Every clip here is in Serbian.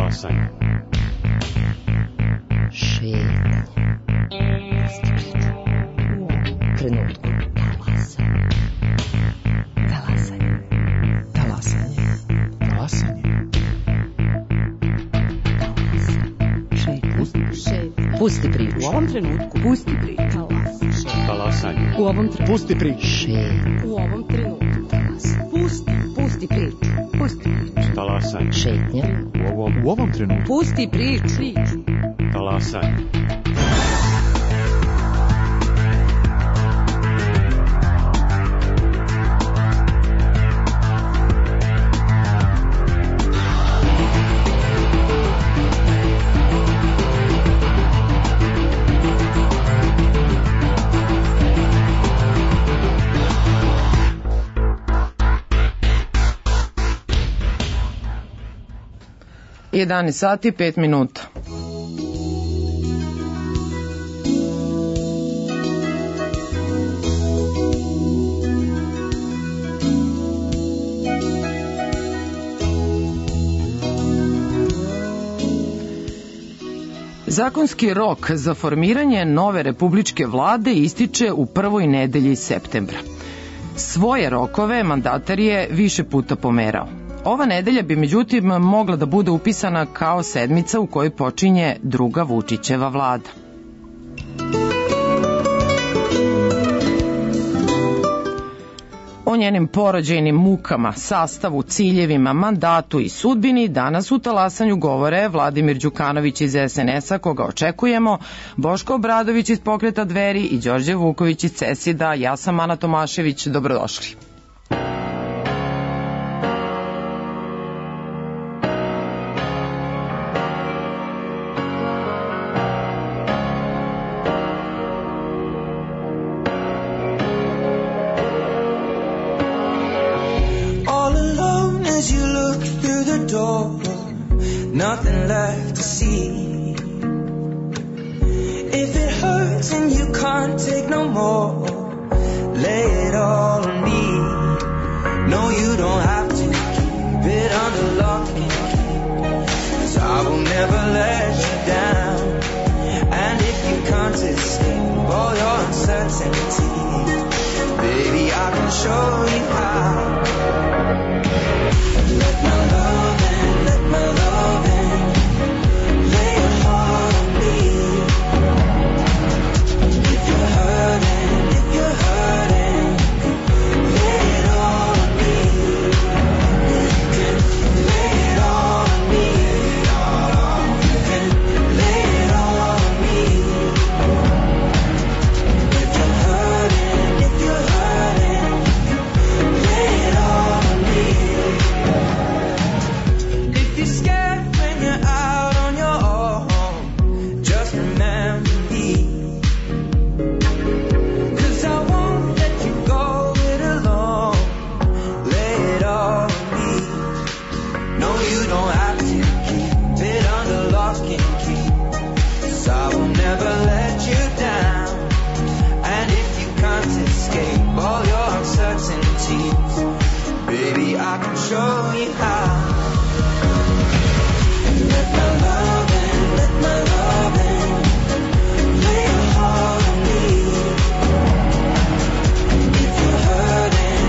Talasanje. Šetnja. Trenutku. Talasanje. Talasanje. Talasanje. Šetnja. Pusti priču. U ovom trenutku. Pusti priču. Talasanje. U ovom trenutku. Pusti priču. Šetnja. U ovom trenutku. Pusti priču. Pusti priču. Talasanje. Šetnja. U ovom trenutku. Pusti priču. Talasanje. Jedanaest sati 5 minuta. Zakonski rok za formiranje nove republičke vlade ističe u prvoj nedelji septembra. Svoje rokove mandatar je više puta pomerao. Ova nedelja bi međutim mogla da bude upisana kao sedmica u kojoj počinje druga Vučićeva vlada. O njenim porođajnim mukama, sastavu, ciljevima, mandatu i sudbini danas u Talasanju govore Vladimir Đukanović iz SNS-a, koga očekujemo, Boško Obradović iz Pokreta Dveri i Đorđe Vuković iz CESID-a. Ja sam Ana Tomašević, dobrodošli. Nothing left to see. If it hurts and you can't take no more, lay it all on me. No, you don't have to keep it under lock and key, 'cause I will never let you down. And if you can't escape all your uncertainty, baby, I can show you how. Let my love in, let my love in. Lay your heart on me. If you're hurting, lay it all on me. You can lay it all on me. You can lay it all on me. If you're hurting, lay it all on me. If you're scared when you're out on your own, just remember me. 'Cause I won't let you go it alone. Lay it all on me. No, you don't have to keep it under lock and key, 'cause I will never let you down. And if you can't escape all your uncertainties, baby, I can show you how. Let my love in, let my love in. Lay your heart on me. If you're hurting,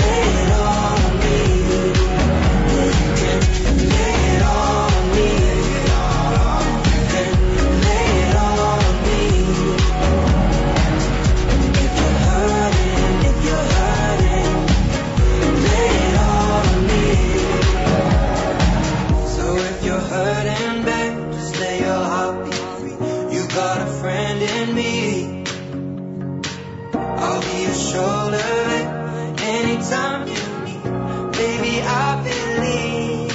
lay it all on me. You can lay it all on me. You can lay it all on me. If you're hurting, lay it all on me. So if you're hurting, babe, just lay your heartbeat free. You got a friend in me. I'll be your shoulder, babe, anytime you need. Baby, I believe.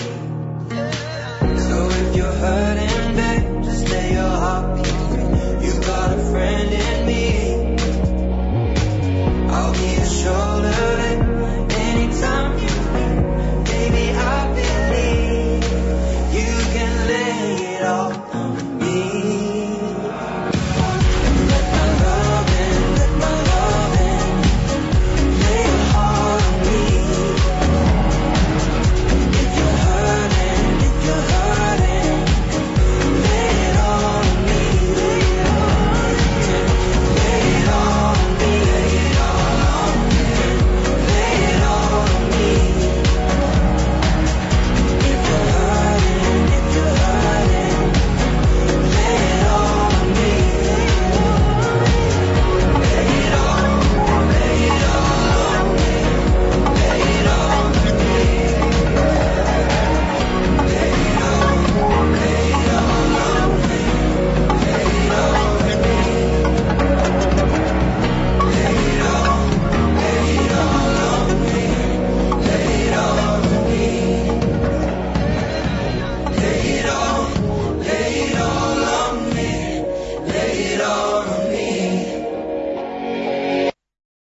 So if you're hurting, babe, just lay your heartbeat free. You got a friend in me. I'll be your shoulder, babe, anytime you need. Baby, I believe you can lay it all on me. Let my love in, let my love in. Lay your heart on me.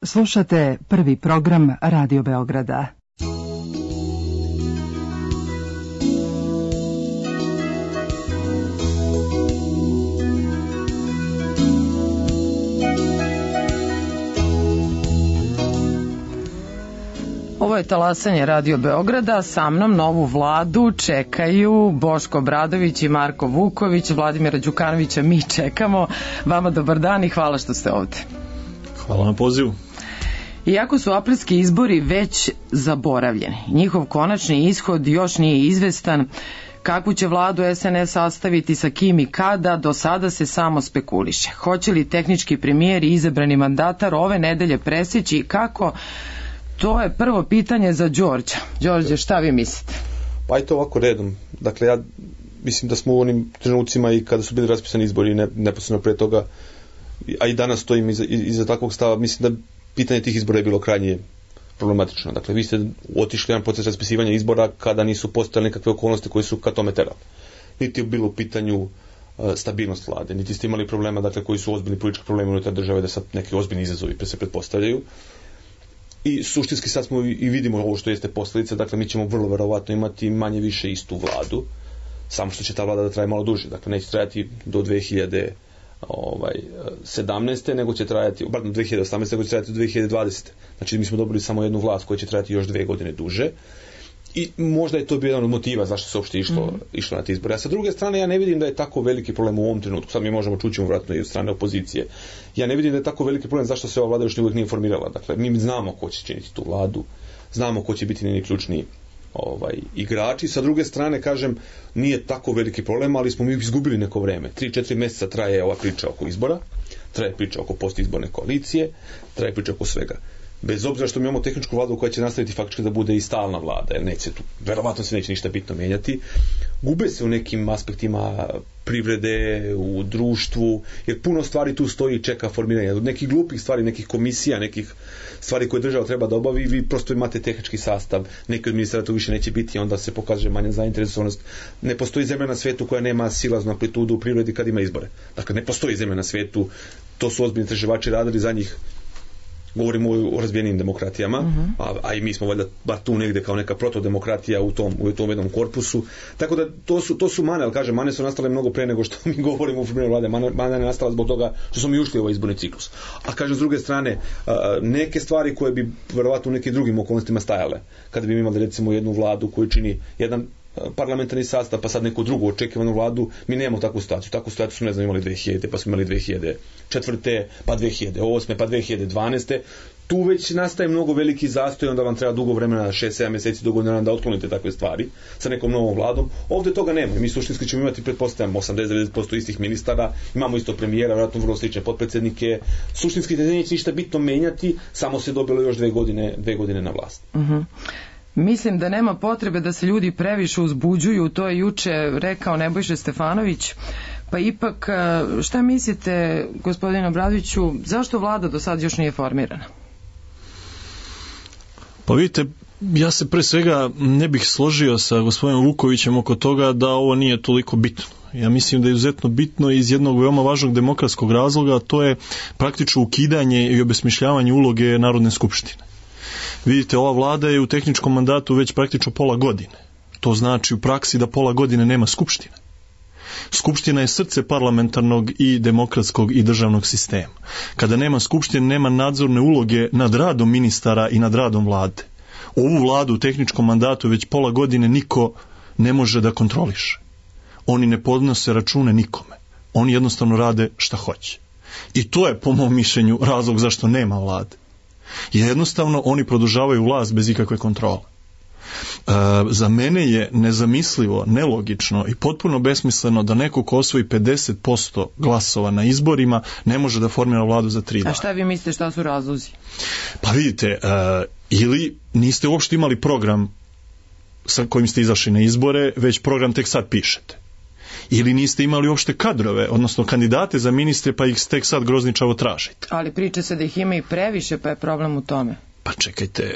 Slušate prvi program Radio Beograda. Ovo je talasanje Radio Beograda, sa mnom novu vladu čekaju Boško Obradović i Marko Vuković, Vladimira Đukanovića mi čekamo. Vama dobar dan i hvala što ste ovde. Hvala na pozivu. Iako su aprilski izbori već zaboravljeni, njihov konačni ishod još nije izvestan. Kakvu će vladu SNS sastaviti, sa kim i kada, do sada se samo spekuliše. Hoće li tehnički premijer i izabrani mandatar ove nedelje preseći i kako? To je prvo pitanje za Đorđa. Đorđe, šta vi mislite? Pa i to ovako redom. Dakle, ja mislim da smo u onim trenucima i kada su bili raspisani izbori neposredno pre toga, a i danas stojim iza takvog stava, mislim da pitanje tih izbora je bilo krajnje problematično. Dakle, vi ste otišli jedan proces raspisivanja izbora kada nisu postojale nekakve okolnosti koje su ka tome terali. Niti je bilo u pitanju stabilnost vlade, niti ste imali problema, dakle, koji su ozbiljni politički problemi unutar države, da sad neki ozbiljni izazovi se pretpostavljaju. I suštinski sad smo i vidimo ovo što jeste posljedica, dakle mi ćemo vrlo verovatno imati manje više istu vladu, samo što će ta vlada da traje malo duže, dakle neće trajati do 2017. nego će trajati, pardon, 2018. nego će trajati do 2020. Znači mi smo dobili samo jednu vlast koja će trajati još 2 godine duže. I možda je to bio jedan od motiva zašto se uopšte išlo na te izbore. A sa druge strane, ja ne vidim da je tako veliki problem u ovom trenutku. Sad mi možemo čući vratno i od strane opozicije. Ja ne vidim da je tako veliki problem zašto se ova vlada još uvijek nije formirala. Dakle, mi znamo ko će činiti tu vladu, znamo ko će biti njeni ključni igrači. Sa druge strane, kažem, nije tako veliki problem, ali smo mi izgubili neko vreme. 3-4 mjeseca traje ova priča oko izbora, traje priča oko postizborne koalicije, traje priča oko svega. Bez obzira što mi imamo tehničku vladu koja će nastaviti faktički da bude i stalna vlada, jer neće tu, verovatno se neće ništa bitno menjati, gube se u nekim aspektima privrede, u društvu, jer puno stvari tu stoji i čeka formiranje. Od nekih glupih stvari, nekih komisija, nekih stvari koje država treba da obavi, vi prosto imate tehnički sastav, neki od ministara tu više neće biti, onda se pokaže manja zainteresovanost. Ne postoji zemlja na svetu koja nema silaznu amplitudu u privredi kad ima izbore. Dakle, ne postoji zemlja na svetu, to su ozbiljni istraživači radili za njih. Govorimo o razvijenim demokratijama, a i mi smo valjda bar tu negdje kao neka protodemokratija u tom jednom korpusu. Tako da to su mane, ali kažem, mane su nastale mnogo pre nego što mi govorimo u formiranju vlade. Mane je nastala zbog toga što smo mi ušli u ovaj izborni ciklus. A kažem, s druge strane, neke stvari koje bi verovatno u nekim drugim okolnostima stajale, kada bi imali recimo jednu vladu koju čini jedan parlamentarni sastav, pa sad neku drugu očekivanu vladu, mi nemamo takvu situaciju. Takvu situaciju smo, ne znam, imali 2000, pa smo imali 2004, pa 2008, pa 2012. Tu već nastaje mnogo veliki zastoj, onda vam treba dugo vremena, 6-7 mjeseci, dugo vremena da otklonite takve stvari sa nekom novom vladom. Ovdje toga nema. Mi suštinski ćemo imati, pretpostavljam, 80-90% istih ministara, imamo isto premijera, vjerojatno vrlo slične potpredsjednike. Suštinski neće ništa bitno menjati, samo se dobilo još 2 godine na vlast. Mislim da nema potrebe da se ljudi previše uzbuđuju, to je juče rekao Nebojša Stefanović, pa ipak šta mislite, gospodine Obradoviću, zašto vlada do sad još nije formirana? Pa vidite, ja se pre svega ne bih složio sa gospodinom Vukovićem oko toga da ovo nije toliko bitno. Ja mislim da je izuzetno bitno iz jednog veoma važnog demokratskog razloga, a to je praktično ukidanje i obesmišljavanje uloge Narodne skupštine. Vidite, ova vlada je u tehničkom mandatu već praktično pola godine. To znači u praksi da pola godine nema skupštine. Skupština je srce parlamentarnog i demokratskog i državnog sistema. Kada nema skupštine, nema nadzorne uloge nad radom ministara i nad radom vlade. Ovu vladu u tehničkom mandatu već pola godine niko ne može da kontroliše. Oni ne podnose račune nikome. Oni jednostavno rade šta hoće. I to je, po mom mišljenju, razlog zašto nema vlade. Jednostavno oni produžavaju vlast bez ikakve kontrole. Za mene je nezamislivo, nelogično i potpuno besmisleno da neko ko osvoji 50% glasova na izborima ne može da formira vladu za 3 dana. A šta vi mislite, šta su razlozi? Pa vidite, ili niste uopšte imali program sa kojim ste izašli na izbore, već program tek sad pišete. Ili niste imali uopšte kadrove, odnosno kandidate za ministre, pa ih tek sad grozničavo tražite. Ali priča se da ih ima i previše, pa je problem u tome. Pa čekajte,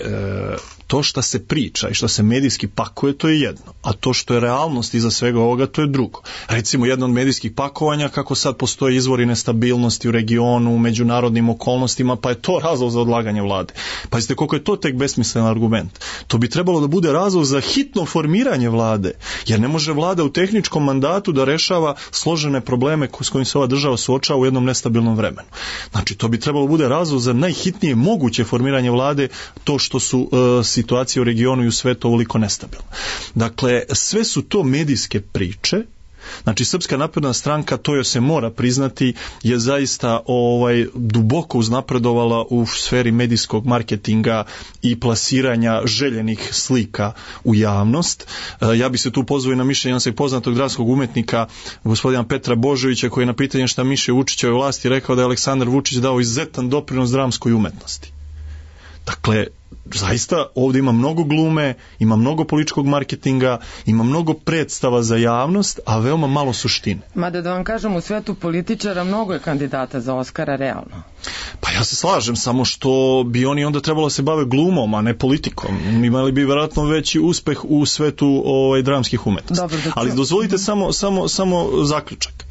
to što se priča i što se medijski pakuje, to je jedno, a to što je realnost iza svega ovoga, to je drugo. Recimo, jedno od medijskih pakovanja, kako sad postoje izvori nestabilnosti u regionu, u međunarodnim okolnostima, pa je to razlog za odlaganje vlade. Pazite, koliko je to tek besmislen argument. To bi trebalo da bude razlog za hitno formiranje vlade, jer ne može vlada u tehničkom mandatu da rešava složene probleme s kojim se ova država suočava u jednom nestabilnom vremenu. Znači, to bi trebalo da bude razlog za najhitnije moguće formiranje vlade, to što su situacije u regionu i u svetu ovoliko nestabilne. Dakle, sve su to medijske priče. Znači, Srpska napredna stranka, to joj se mora priznati, je zaista duboko uznapredovala u sferi medijskog marketinga i plasiranja željenih slika u javnost. Ja bi se tu pozvao i na mišljenje poznatog dramskog umetnika gospodina Petra Božovića, koji je na pitanje šta miše Vučićeve vlasti rekao da je Aleksandar Vučić dao izuzetan doprinos dramskoj umetnosti. Dakle, zaista ovdje ima mnogo glume, ima mnogo političkog marketinga, ima mnogo predstava za javnost, a veoma malo suštine. Mada da vam kažem, u svetu političara mnogo je kandidata za Oskara, realno. Pa ja se slažem, samo što bi oni onda trebalo se bave glumom, a ne politikom. Imali bi vjerojatno veći uspeh u svetu dramskih umetnosti. Dobro, ali dozvolite samo zaključak.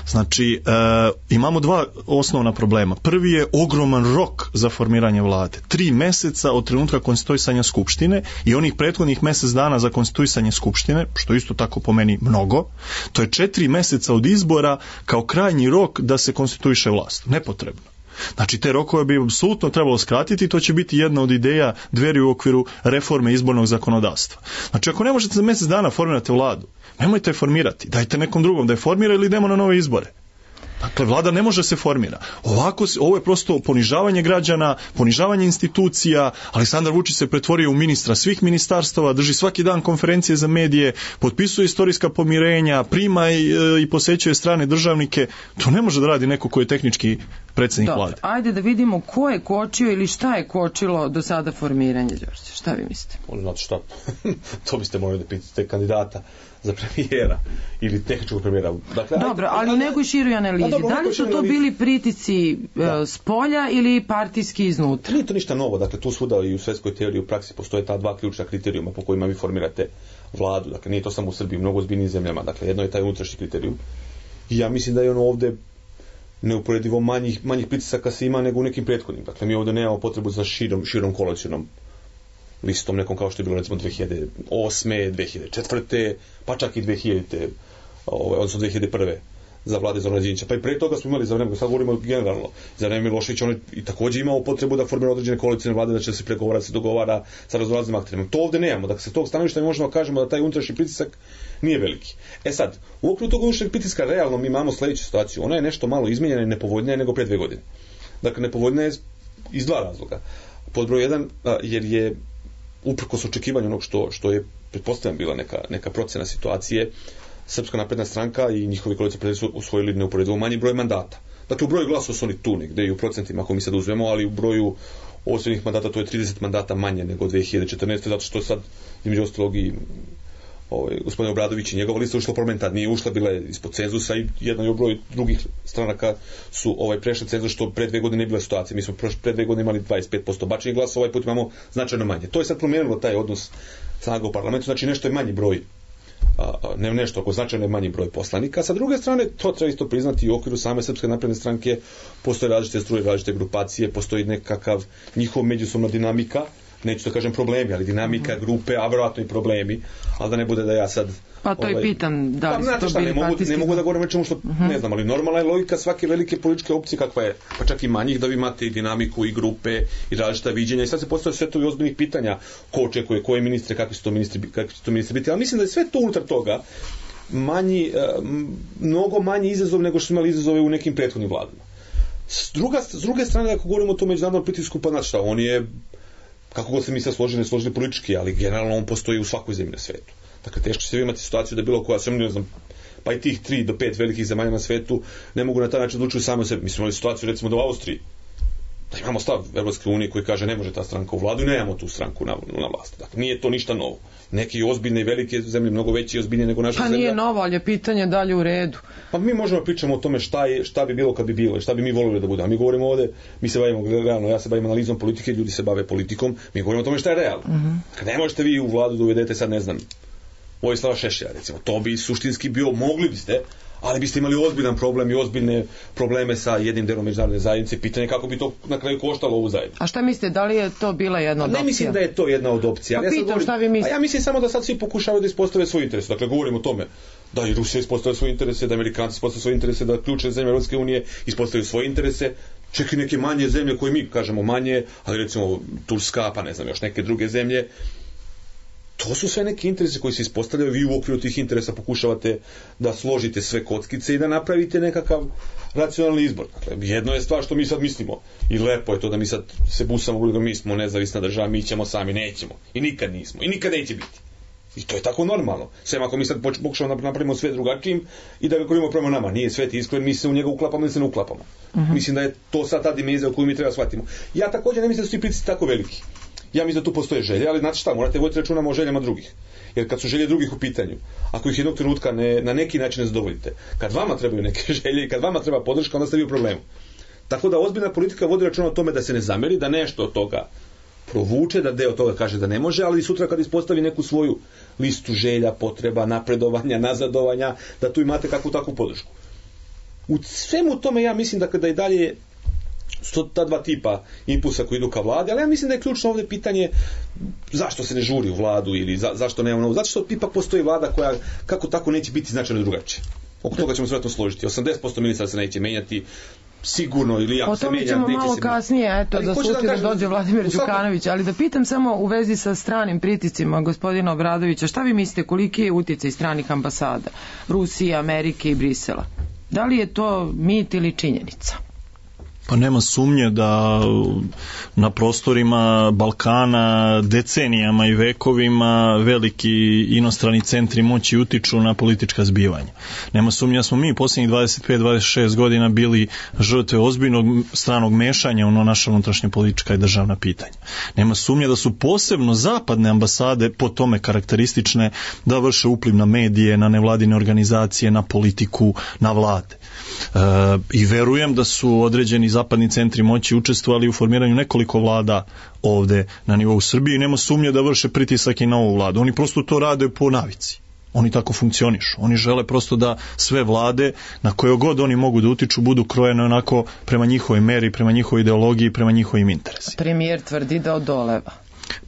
Znači, imamo dva osnovna problema. Prvi je ogroman rok za formiranje vlade. 3 meseca od trenutka konstituisanja Skupštine i onih prethodnih mjesec dana za konstituisanje Skupštine, što isto tako po meni mnogo. To je 4 meseca od izbora kao krajnji rok da se konstituiše vlast. Nepotrebno. Znači, te rokove bi apsolutno trebalo skratiti i to će biti jedna od ideja Dveri u okviru reforme izbornog zakonodavstva. Znači, ako ne možete za mjesec dana formirati vladu, nemojte je formirati, dajte nekom drugom da je formira ili idemo na nove izbore. Dakle, vlada ne može se formira. Ovako, ovo je prosto ponižavanje građana, ponižavanje institucija. Aleksandar Vučić se pretvorio u ministra svih ministarstava, drži svaki dan konferencije za medije, potpisuje istorijska pomirenja, prima i posećuje strane državnike. To ne može da radi neko ko je tehnički predsjednik vlade. Ajde da vidimo ko je kočio ili šta je kočilo do sada formiranje, Đorđe. Šta vi mislite? Znate šta? To biste morali da pitate kandidata za premijera ili tehničkog premijera. Dakle, dobro, ali u nekoj široj analizi. Da li su to bili pritisci s polja ili partijski iznutra? Nije to ništa novo. Dakle, tu svuda i u svetskoj teoriji u praksi postoje ta dva ključna kriterijuma po kojima vi formirate vladu. Dakle, nije to samo u Srbiji, u mnogo ozbiljnijim zemljama. Dakle, jedno je taj unutrašnji kriterijum. I ja mislim da je ono ovde neuporedivo manjih pritisaka se ima nego u nekim prethodnim. Dakle, mi ovdje nemamo potrebu za širom koalicionom listom nekom kao što je bilo recimo 2008. 2004. pa čak i 2000. Odnosno 2001. za vlade Zorana Đinđića. Pa i pre toga smo imali za vreme, sad govorimo generalno, za vreme Miloševića on i također imao potrebu da formira određene koalicijne vlade, da će se pregovara, da se dogovara sa raznoraznim akterima. To ovdje nemamo. Dakle, sa tog stanovišta mi možemo da kažemo da taj unutrašnji pritisak nije veliki. Sad, u okviru tog unutrašnjeg pritiska realno mi imamo sljedeću situaciju. Ona je nešto malo izmijenjena i nepovoljnija nego pre 2 godine. Dakle, nepovoljnija je iz 2 razloga. Pod broj 1, jer je uprkos očekivanju onog što je pretpostavljam bila neka procena situacije, Srpska napredna stranka i njihovi koalicijski su usvojili neuporedivo manji broj mandata. Dakle, u broju glasova su oni tu negde i u procentima, ako mi sad uzmemo, ali u broju osvojenih mandata to je 30 mandata manje nego 2014. Zato što sad, između ostalog i gospodin Obradović i njegova lista ušla u parlament, nije ušla, bila je ispod cenzusa i jedan je broj drugih stranaka su prešli cenzus, što pre 2 godine nije bila situacija. Mi smo pre 2 godine imali 25% bačenih glasa, ovaj put imamo značajno manje. To je sad promijenilo taj odnos snaga u parlamentu, znači nešto je manji broj, ne nešto, ako značajno je manji broj poslanika. Sa druge strane, to treba isto priznati, u okviru same Srpske napredne stranke postoje različite struje, različite grupacije, postoji nekakav njihov međusobna dinamika, neću da kažem problemi, ali dinamika, grupe, a vjerojatno i problemi, ali da ne bude da ja sad... Pa to i pitam, da li su to bili partijski... Ne mogu da govorim o čemu što ne znam, ali normalna je logika svake velike političke opcije kakva je, pa čak i manjih, da vi imate i dinamiku i grupe i različita viđenja i sad se postavljaju sve to i ozbiljnih pitanja ko očekuje, koje ministre, kakvi su to ministri biti, ali mislim da je sve to unutar toga mnogo manji izazov nego što su imali izazove u nekim prethodnim vladama. S druge strane, ako govorimo o tom međunarodnom pritisku, pa znači šta, on je, kako god se mi sad složili politički, ali generalno on postoji u svakoj zemlji na svetu. Dakle, teško će se imati situaciju da bilo koja, ne znam, pa i tih 3 do 5 velikih zemalja na svetu ne mogu na taj način odlučiti sami o sebi. Mi smo imali situaciju recimo da u Austriji Da imamo stav Evropske unije koji kaže ne može ta stranka u vladu i nemamo tu stranku na vlasti. Dakle, nije to ništa novo. Neke ozbiljne i velike zemlje, mnogo veće i ozbiljnije nego naša zemlja. Pa nije novo, ali je pitanje dalje u redu. Pa mi možemo pričamo o tome šta bi bilo kad bi bilo, šta bi mi volili da bude. A mi govorimo ovde, mi se bavimo realno, ja se bavim analizom politike, ljudi se bave politikom, mi govorimo o tome šta je realno. Kad ne možete vi u vladu da uvedete sad, ne znam, Vojislava Šešelja, recimo, to bi suštinski bio, mogli biste, ali biste imali ozbiljan problem i ozbiljne probleme sa jednim delom međunarodne zajednice. Pitanje kako bi to na kraju koštalo ovu zajednicu. A šta mislite, da li je to bila jedna od opcija? Ne mislim da je to jedna od opcija. Pa pitam, šta vi mislite? Ja mislim samo da sad svi pokušavaju da ispostave svoj interes. Dakle, govorimo o tome da i Rusija ispostave svoje interese, da Amerikanci ispostave svoje interese, da ključne zemlje Evropske unije ispostavljaju svoje interese, čak i neke manje zemlje koje mi kažemo manje, ali recimo Turska, pa ne znam, još neke druge zemlje. To su sve neki interesi koji se ispostavljaju, vi u okviru tih interesa pokušavate da složite sve kockice i da napravite nekakav racionalni izbor. Dakle, jedno je stvar što mi sad mislimo i lepo je to da mi sad se busamo da mi smo nezavisna država, mi ćemo sami, nećemo. I nikad nismo. I nikad neće biti. I to je tako normalno. Sve ako mi sad pokušamo napravimo sve drugačijim i da ga korimo prema nama. Nije svet iskren, mi se u njega uklapamo ili se ne uklapamo. Mislim da je to sad ta dimenzija koju mi treba shvatimo. Ja također ne mislim da su ti pritisci tako veliki. Ja mislim da tu postoje želje, ali znate šta, morate voditi računa o željama drugih. Jer kad su želje drugih u pitanju, ako ih jednog trenutka na neki način ne zadovoljite, kad vama trebaju neke želje i kad vama treba podrška, onda ste vi u problemu. Tako da ozbiljna politika vodi računa o tome da se ne zameri, da nešto od toga provuče, da deo toga kaže da ne može, ali sutra kad ispostavi neku svoju listu želja, potreba, napredovanja, nazadovanja, da tu imate kakvu takvu podršku. U svemu tome ja mislim da kada i dalje ta dva tipa impulsa koji idu ka vladi, ali ja mislim da je ključno ovdje pitanje zašto se ne žuri u vladu ili zašto nema novo. Zato što ipak postoji vlada koja kako tako neće biti značajno drugačije. Oko toga ćemo se vjerojatno složiti. 80% ministara se neće menjati, sigurno ili ako se menja, neće se... O tome ćemo malo kasnije, eto, da sutra dođe Vladimir Đukanović, ali da pitam samo u vezi sa stranim pritiscima gospodina Obradovića, šta vi mislite, koliki je utjecaj stranih ambasada, Rusije, Amerike i Brisela? Da li je to mit ili činjenica? Pa nema sumnje da na prostorima Balkana decenijama i vekovima veliki inostrani centri moći utiču na politička zbivanja. Nema sumnje da smo mi posljednjih 25-26 godina bili žrtve ozbiljnog stranog mešanja u naša unutrašnja politička i državna pitanja. Nema sumnje da su posebno zapadne ambasade po tome karakteristične da vrše upliv na medije, na nevladine organizacije, na politiku, na vlade. I verujem da su određeni zapadni centri moći učestvovali u formiranju nekoliko vlada ovde na nivou Srbije i nema sumnje da vrše pritisak i na ovu vladu. Oni prosto to rade po navici. Oni tako funkcionišu. Oni žele prosto da sve vlade na koje god oni mogu da utiču budu krojene onako prema njihovoj meri, prema njihovoj ideologiji, prema njihovim interesima. Premijer tvrdi da odoleva.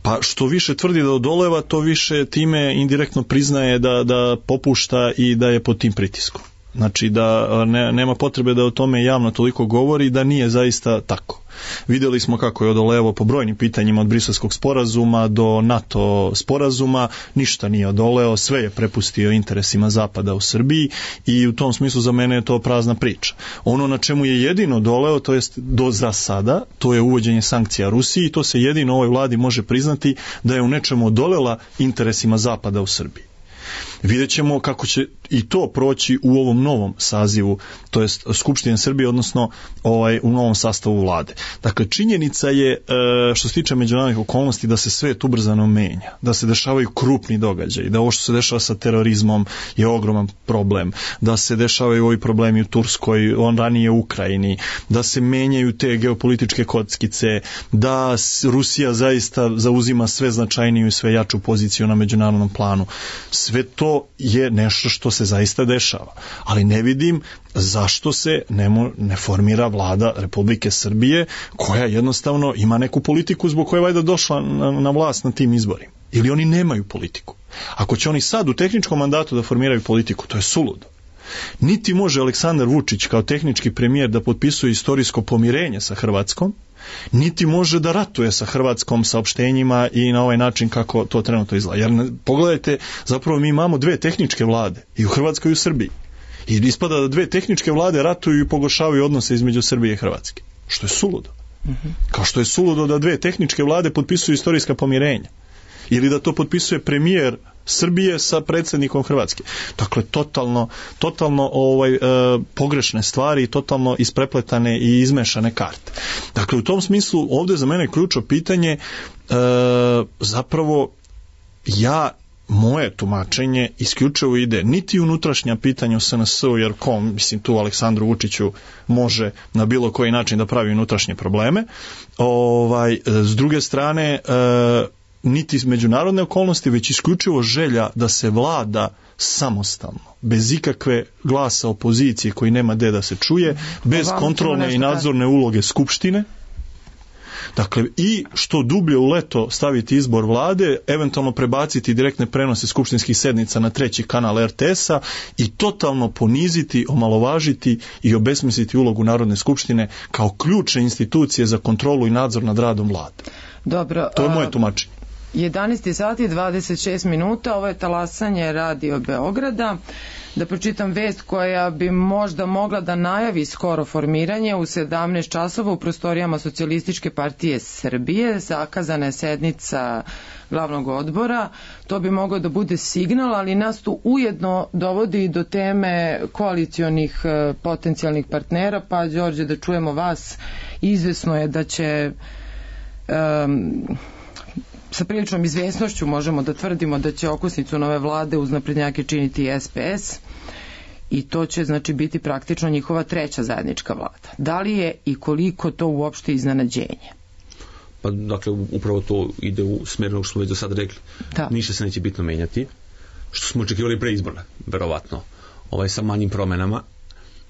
Pa što više tvrdi da odoleva, to više time indirektno priznaje da popušta i da je pod tim pritiskom. Znači da nema potrebe da o tome javno toliko govori, da nije zaista tako. Vidjeli smo kako je odolevao po brojnim pitanjima od Briselskog sporazuma do NATO sporazuma, ništa nije odoleo, sve je prepustio interesima Zapada u Srbiji i u tom smislu za mene je to prazna priča. Ono na čemu je jedino odoleo, to jest do za sada, to je uvođenje sankcija Rusiji i to se jedino ovoj vladi može priznati da je u nečemu odolela interesima Zapada u Srbiji. Vidjet ćemo kako će i to proći u ovom novom sazivu, to jest Skupštine Srbije, odnosno u novom sastavu vlade. Dakle, činjenica je, što se tiče međunarodnih okolnosti, da se svet ubrzano menja, da se dešavaju krupni događaji, da ovo što se dešava sa terorizmom je ogroman problem, da se dešavaju ovi problemi u Turskoj, ranije u Ukrajini, da se menjaju te geopolitičke kockice, da Rusija zaista zauzima sve značajniju i sve jaču poziciju na međunarodnom planu. Sve to je nešto što se zaista dešava. Ali ne vidim zašto se ne formira vlada Republike Srbije koja jednostavno ima neku politiku zbog koje je valjda došla na vlast na tim izborima. Ili oni nemaju politiku. Ako će oni sad u tehničkom mandatu da formiraju politiku, to je suludo. Niti može Aleksandar Vučić kao tehnički premijer da potpisuje istorijsko pomirenje sa Hrvatskom, niti može da ratuje sa Hrvatskom saopštenjima i na ovaj način kako to trenutno izgleda. Jer pogledajte, zapravo mi imamo dve tehničke vlade, i u Hrvatskoj i u Srbiji. I ispada da dve tehničke vlade ratuju i pogoršavaju odnose između Srbije i Hrvatske. Što je suludo. Kao što je suludo da dve tehničke vlade potpisuju istorijska pomirenja. ili da to potpisuje premijer Srbije sa predsjednikom Hrvatske. Dakle, totalno pogrešne stvari i totalno isprepletane i izmešane karte. Dakle, u tom smislu ovdje za mene ključno pitanje zapravo moje tumačenje isključivo ide niti unutrašnja pitanja u SNS-u, jer mislim tu Aleksandru Vučiću može na bilo koji način da pravi unutrašnje probleme. S druge strane, niti međunarodne okolnosti, već isključivo želja da se vlada samostalno, bez ikakve glasa opozicije koji nema gde da se čuje, bez kontrolne i nadzorne uloge Skupštine. Dakle, i što dublje u leto staviti izbor vlade, eventualno prebaciti direktne prenose skupštinskih sednica na 3. kanal RTS-a i totalno poniziti, omalovažiti i obesmisliti ulogu Narodne skupštine kao ključne institucije za kontrolu i nadzor nad radom vlade. Dobro, to je moje tumačenje. 11 sati 26 minuta, ovo je talasanje Radio Beograda. Da pročitam vest koja bi možda mogla da najavi skoro formiranje. U 17 časova u prostorijama Socijalističke partije Srbije zakazana je sednica glavnog odbora. To bi mogao da bude signal, ali nas tu ujedno dovodi do teme koalicionih potencijalnih partnera. Pa, Đorđe, da čujemo vas. Izvesno je da će sa priličnom izvesnošću možemo da tvrdimo da će okosnicu nove vlade uz naprednjake činiti SPS i to će znači biti praktično njihova treća zajednička vlada. Da li je i koliko to uopšte iznenađenje? Pa dakle, upravo to ide u smeru što smo već do sada rekli. Da. Ništa se neće bitno menjati, što smo očekivali pre izbora, verovatno, sa manjim promenama.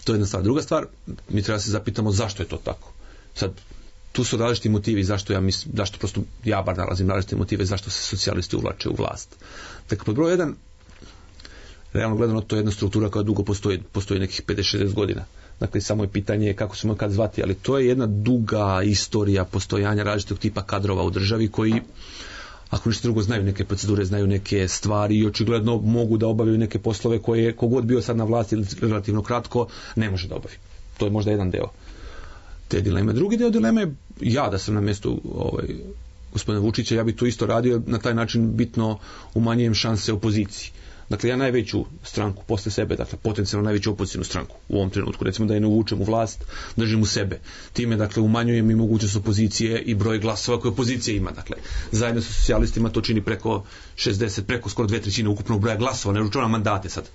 To je jedna stvar. Druga stvar, mi treba se zapitamo zašto je to tako. Sad, tu su različiti motivi zašto prosto ja bar nalazim različite motive zašto se socijalisti uvlače u vlast. Dakle, pod broj 1, realno gledano, to je jedna struktura koja dugo postoji nekih 50-60 godina. Dakle, samo je pitanje kako se kad zvati, ali to je jedna duga istorija postojanja različitog tipa kadrova u državi koji, ako ništa drugo, znaju neke procedure, znaju neke stvari i očigledno mogu da obavljaju neke poslove koje kogod bio sad na vlasti ili relativno kratko ne može da obavi. To je možda jedan deo te dileme. Drugi deo dileme je ja da sam na mjestu gospodina Vučića, ja bi to isto radio, na taj način bitno umanjujem šanse opoziciji. Dakle, ja najveću stranku posle sebe, dakle, potencijalno najveću opozicijnu stranku u ovom trenutku, recimo da je ne uvučem u vlast, držim u sebe. Time, dakle, umanjujem i mogućnost opozicije i broj glasova koje opozicija ima. Dakle, zajedno sa socijalistima to čini preko 60, preko skoro 2/3 ukupnog broja glasova, ne računam mandate sad.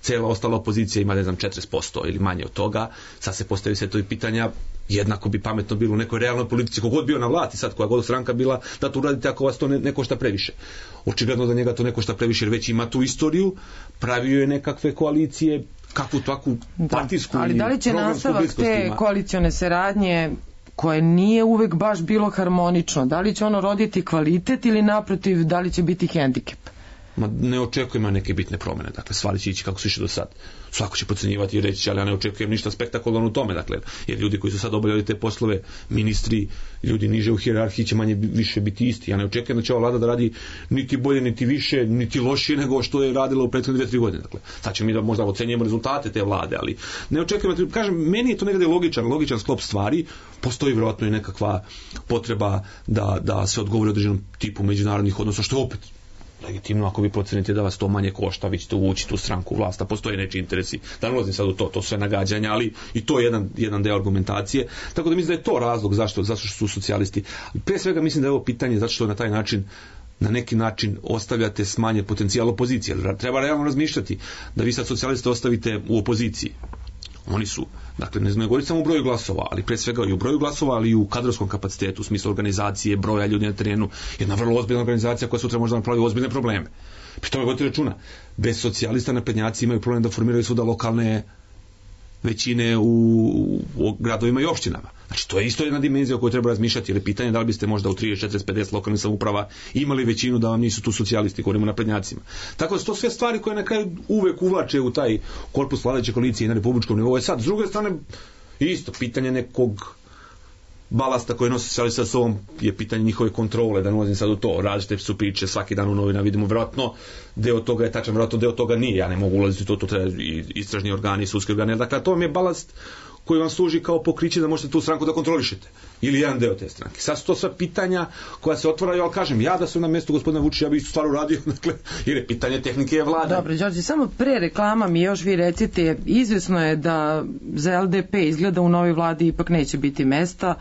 Cijela ostala opozicija ima, 40% ili manje od toga. Sad se postavi sve to i pitanja, jednako bi pametno bilo u nekoj realnoj politici, kogod bio na vlasti sad, koja god stranka bila, da to uradite ako vas to ne košta previše. Očigledno da njega to ne košta previše, jer već ima tu istoriju, pravio je nekakve koalicije, kakvu takvu partijsku. Ali da li će nastavak te koalicione saradnje, koje nije uvek baš bilo harmonično, da li će ono roditi kvalitet ili naprotiv, da li će biti hendikep? Ne očekujemo neke bitne promjene, dakle stvari će ići kako su išli do sad. Svako će procenjivati i reći, ali ja ne očekujem ništa spektakularno u tome, dakle, jer ljudi koji su sad obavljali te poslove, ministri, ljudi niže u hijerarhiji će manje više biti isti. Ja ne očekujem da će ova vlada da radi niti bolje, niti više, niti lošije nego što je radila u prethodne 2-3 godine. Dakle, sad ćemo mi da možda ocenjujemo rezultate te vlade, ali ne očekujem, kažem, meni je to nekada logičan sklop stvari. Postoji vjerojatno i nekakva potreba da se odgovori određenom tipu međunarodnih odnosa, što je opet legitimno ako vi procenite da vas to manje košta, vi ćete uvući tu stranku u vlast, a postoje nečiji interesi. Da ne ulazim sad u to sve nagađanja, ali i to je jedan deo argumentacije. Tako da mislim da je to razlog zašto su socijalisti. Prije svega mislim da je ovo pitanje zato što na taj način, na neki način ostavljate smanjen potencijal opozicije. Treba realno razmišljati da vi sad socijaliste ostavite u opoziciji. Oni su, dakle, ne znam, govoriti samo u broju glasova, ali pre svega i u broju glasova, ali i u kadrovskom kapacitetu, u smislu organizacije, broja ljudi na terenu, jedna vrlo ozbiljna organizacija koja sutra može da napravi ozbiljne probleme. Pri tome vodite računa, bez socijalista naprednjaci imaju problem da formiraju svuda lokalne većine u gradovima i opštinama. Znači, to je isto jedna dimenzija o kojoj treba razmišljati, jer je pitanje da li biste možda u 30, 40, 50 lokalnih samouprava imali većinu da vam nisu tu socijalisti, govorimo o naprednjacima. Tako da su to sve stvari koje na kraju uvek uvlače u taj korpus vladajuće koalicije na republičkom nivou. Sad, s druge strane, isto pitanje nekog balasta koje nosi socijalista sa sobom je pitanje njihove kontrole, da ne ulazim sad u to. Različite su priče, svaki dan u novinama vidimo, vjerojatno deo toga je tačan, vjerojatno deo toga nije. Ja ne mogu ulaziti u to treba i istražni organi, sudski organi. Dakle, to vam je balast koji vam služi kao pokriće da možete tu stranku da kontrolišete. Ili jedan deo te stranke. Sad su to sva pitanja koja se otvaraju, ali kažem, ja da sam na mjestu gospodina Vučića, ja bih isto stvar uradio, dakle, jer je pitanje tehnike je vlada. Dobro, Đorđe, samo pre reklama mi još vi recite, izvesno je da za LDP izgleda u novoj vladi ipak neće biti mesta,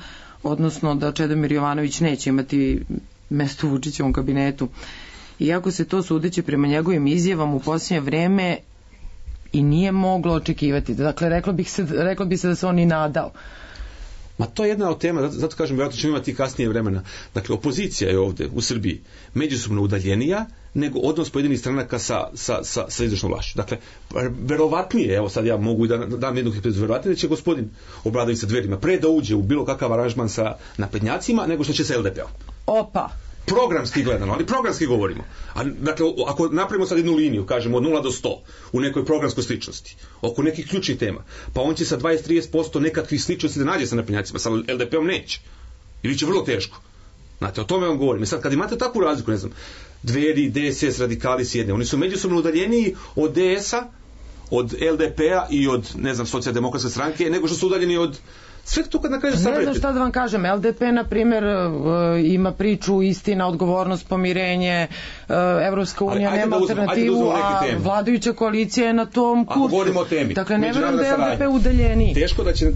odnosno da Čedomir Jovanović neće imati mesto u Vučićevom kabinetu. Iako se to sudeći prema njegovim izjavama u posljednje vreme i nije moglo očekivati. Dakle, reklo bi se da se on i nadao. Ma to je jedna od tema, zato kažem, vjerojatno ćemo imati kasnije vremena. Dakle, opozicija je ovde u Srbiji međusobno udaljenija nego odnos pojedinih stranaka sa izvršnom vlašću. Dakle, verovatnije, evo sad ja mogu da dam jednu hipotezu, verovatnije da će gospodin Obradović sa Dverima pre da uđe u bilo kakav aranžman sa naprednjacima nego što će sa LDP-om. Opa! Programski gledano, ali programski govorimo. Dakle, ako napravimo sad jednu liniju, kažemo od 0 do 100 u nekoj programskoj sličnosti, oko nekih ključnih tema, pa on će sa 20-30% nekakvih sličnosti da nađe sa naprednjacima, sa LDP-om neće. Ili će vrlo teško. Znate, o tome vam govorim. I sad, kad imate takvu razliku, ne znam, Dveri, DSS, radikali s jedne, oni su međusobno udaljeniji od DS-a, od LDP-a i od, ne znam, socijaldemokratske stranke, nego što su udaljeni od sve to kad na kraju sabrete. Ne znam šta da vam kažem, LDP na primjer ima priču istina, odgovornost, pomirenje, Evropska unija nema alternativu, a vladajuća koalicija je na tom kursu. Govorimo o temi. Dakle, ne verujem da je LDP udaljeniji.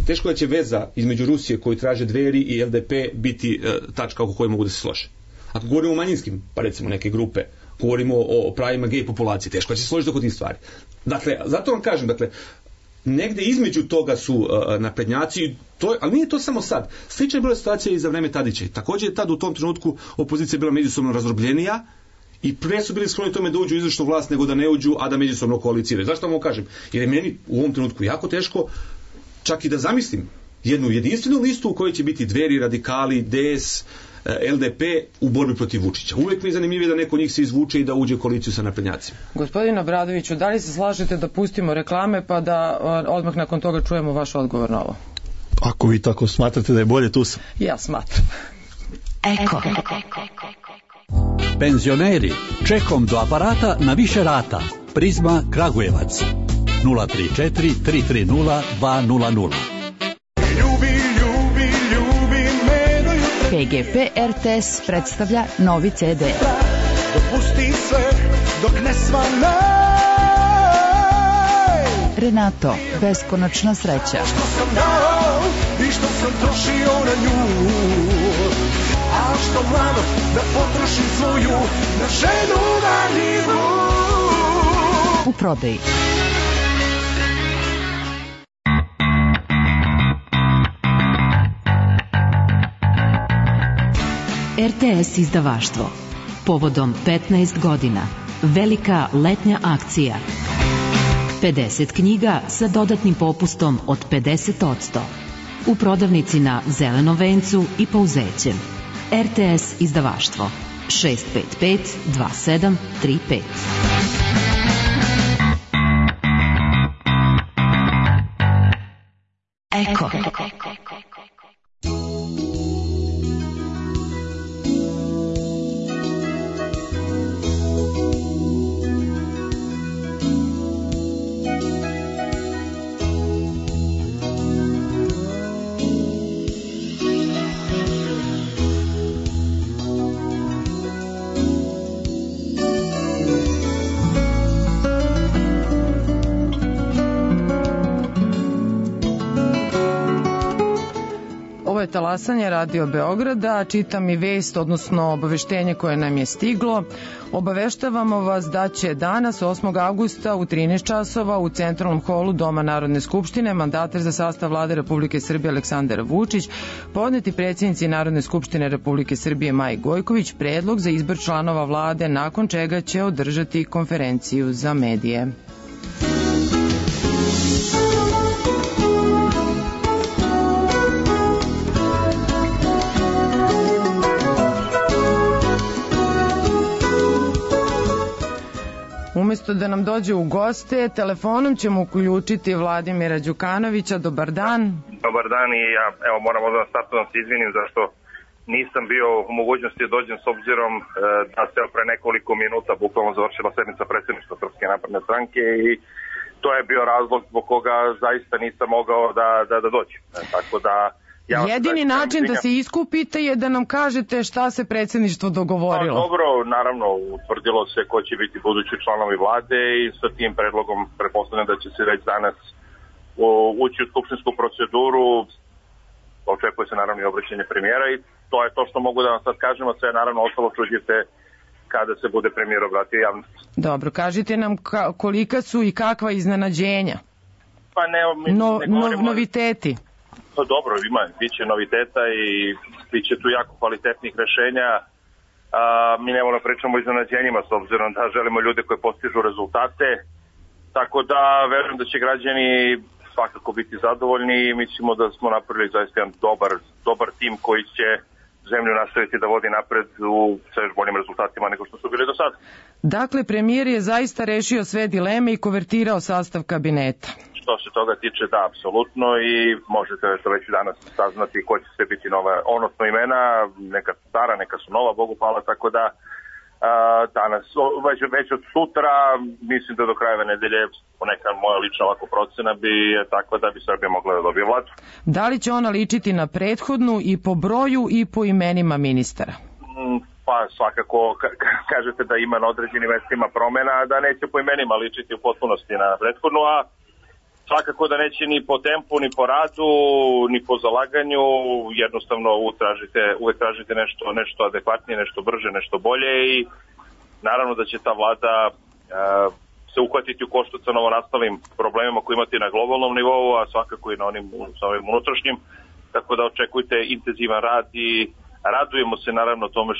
Teško da će veza između Rusije koju traže Dveri i LDP biti tačka oko koje mogu da se slože. Ako govorimo o manjinskim, pa recimo neke grupe, govorimo o pravima gej populacije, teško da će se složiti oko tih stvari. Dakle, zato vam kažem, dakle, negde između toga su naprednjaci, ali nije to samo sad. Slična je bila situacija i za vreme Tadića. Također je tad u tom trenutku opozicija bila međusobno razdrobljenija i pre su bili skloni tome da uđu u izvršnu vlast nego da ne uđu, a da međusobno koaliciraju. Zašto vam ovo kažem? Jer je meni u ovom trenutku jako teško čak i da zamislim jednu jedinstvenu listu u kojoj će biti Dveri, radikali, DS, LDP u borbi protiv Vučića. Uvijek mi je zanimljivije da neko njih se izvuče i da uđe u koaliciju sa naprednjacima. Gospodin Obradoviću, da li se slažete da pustimo reklame pa da odmah nakon toga čujemo vaš odgovor na ovo? Ako vi tako smatrate da je bolje, tu sam. Ja smatram. Eko. Penzioneri, čekom do aparata na više rata. Prizma Kragujevac 034 330 200. PGP RTS predstavlja novi CD. Dopusti sve dok ne svanaj. Renato, beskonačna sreća. Što sam dao i što sam trošio na nju, a što mlado da potrošim svoju na ženu marljivu. U prodaji. RTS izdavaštvo. Povodom 15 godina. Velika letnja akcija. 50 knjiga sa dodatnim popustom od 50%. U prodavnici na Zelenom vencu i Pouzećem. RTS izdavaštvo. 655 2735. Eko. Ovo je talasanje Radio Beograda, čitam i vest, odnosno obaveštenje koje nam je stiglo. Obaveštavamo vas da će danas, 8. avgusta u 13 časova u centralnom holu Doma Narodne skupštine mandatar za sastav Vlade Republike Srbije Aleksandar Vučić podneti predsjednici Narodne skupštine Republike Srbije Maji Gojković predlog za izbor članova vlade, nakon čega će održati konferenciju za medije. Umesto da nam dođe u goste, telefonom ćemo uključiti Vladimira Đukanovića. Dobar dan. Dobar dan i ja moram odmah startno da se izvinim zašto nisam bio u mogućnosti da dođem s obzirom da se pre nekoliko minuta bukvalno završila sednica predsjedništva Srpske napredne stranke i to je bio razlog zbog koga zaista nisam mogao da dođem. Tako da jedini način da se iskupite je da nam kažete šta se predsjedništvo dogovorilo. Pa, dobro, naravno, utvrdilo se ko će biti budući članovi vlade i sa tim predlogom pretpostavljam da će se već danas ući u skupštinsku proceduru. Očekuje se naravno i obraćanje premijera i to je to što mogu da vam sad kažem, a sve naravno ostalo čuđite kada se bude premijer obratio javnosti. Dobro, kažite nam kolika su i kakva iznenađenja? Pa ne govorimo... Noviteti? Pa dobro, bit će noviteta i bit će tu jako kvalitetnih rešenja. Mi ne moramo pričamo o iznenađenjima s obzirom da želimo ljude koji postižu rezultate. Tako da verujem da će građani svakako biti zadovoljni i mislimo da smo napravili zaista jedan dobar tim koji će zemlju nastaviti da vodi napred u sve još boljim rezultatima nego što su bili do sada. Dakle, premijer je zaista rešio sve dileme i konvertirao sastav kabineta. Što se toga tiče, da, apsolutno, i možete već danas saznati ko će sve biti nova, odnosno imena, neka stara, neka su nova, Bogu hvala, tako da danas, već od sutra, mislim da do krajeva nedelje, neka moja lična ovako procena bi je takva da bi Srbija mogla da dobije vladu. Da li će ona ličiti na prethodnu i po broju i po imenima ministara? Pa svakako kažete da ima na određenim mestima promena, a da neće po imenima ličiti u potpunosti na prethodnu, a svakako da neće ni po tempu, ni po radu, ni po zalaganju, jednostavno uvek tražite nešto adekvatnije, nešto brže, nešto bolje i naravno da će ta vlada se uhvatiti u koštac sa novonastalim problemima koji imate na globalnom nivou, a svakako i na ovim unutrašnjim, tako da očekujte intenzivan rad i radujemo se naravno tome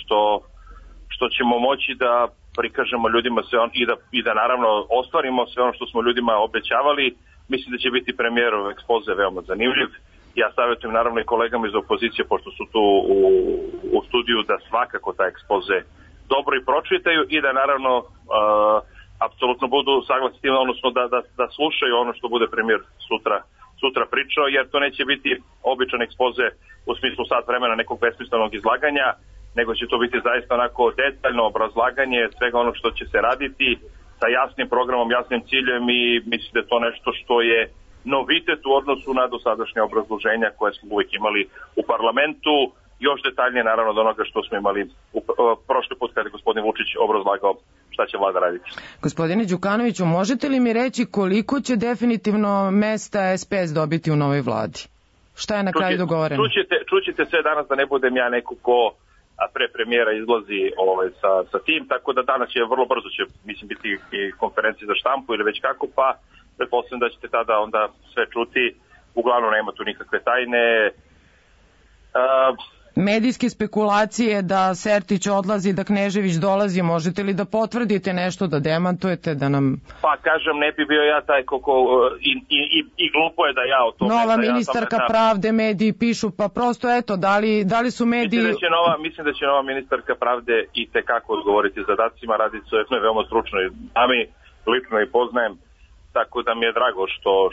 što ćemo moći da prikažemo ljudima sve i da naravno ostvarimo sve ono što smo ljudima obećavali. Mislim da će biti premijerov ekspoze veoma zanimljiv. Ja savjetujem naravno i kolegama iz opozicije, pošto su tu u studiju, da svakako taj ekspoze dobro i pročitaju i da naravno apsolutno budu saglasni tim, odnosno da slušaju ono što bude premijer sutra pričao, jer to neće biti običan ekspoze u smislu sat vremena nekog besmislenog izlaganja, nego će to biti zaista onako detaljno obrazlaganje svega ono što će se raditi, sa jasnim programom, jasnim ciljem i mislim da je to nešto što je novitet u odnosu na dosadašnje obrazloženja koje smo uvijek imali u parlamentu, još detaljnije naravno od onoga što smo imali prošli put kada je gospodin Vučić obrazlagao šta će vlada raditi. Gospodine Đukanoviću, možete li mi reći koliko će definitivno mesta SPS dobiti u novoj vladi? Šta je na kraju dogovoreno? Čućete sve danas da ne budem ja neko ko pre premijera izlazi sa tim, tako da danas će vrlo brzo biti i konferencije za štampu ili već kako, pa pretpostavljam da ćete tada onda sve čuti. Uglavnom nema tu nikakve tajne. Medijske spekulacije da Sertić odlazi, da Knežević dolazi, možete li da potvrdite nešto, da demantujete, da nam... Pa kažem, ne bi bio ja taj i glupo je da ja o tome... Nova ministarka pravde, mediji pišu, pa prosto eto, da li su mediji... Mislim da će nova ministarka pravde i tekako odgovoriti zadacima, radi se o jednoj veoma stručnoj dami, lično i poznajem, tako da mi je drago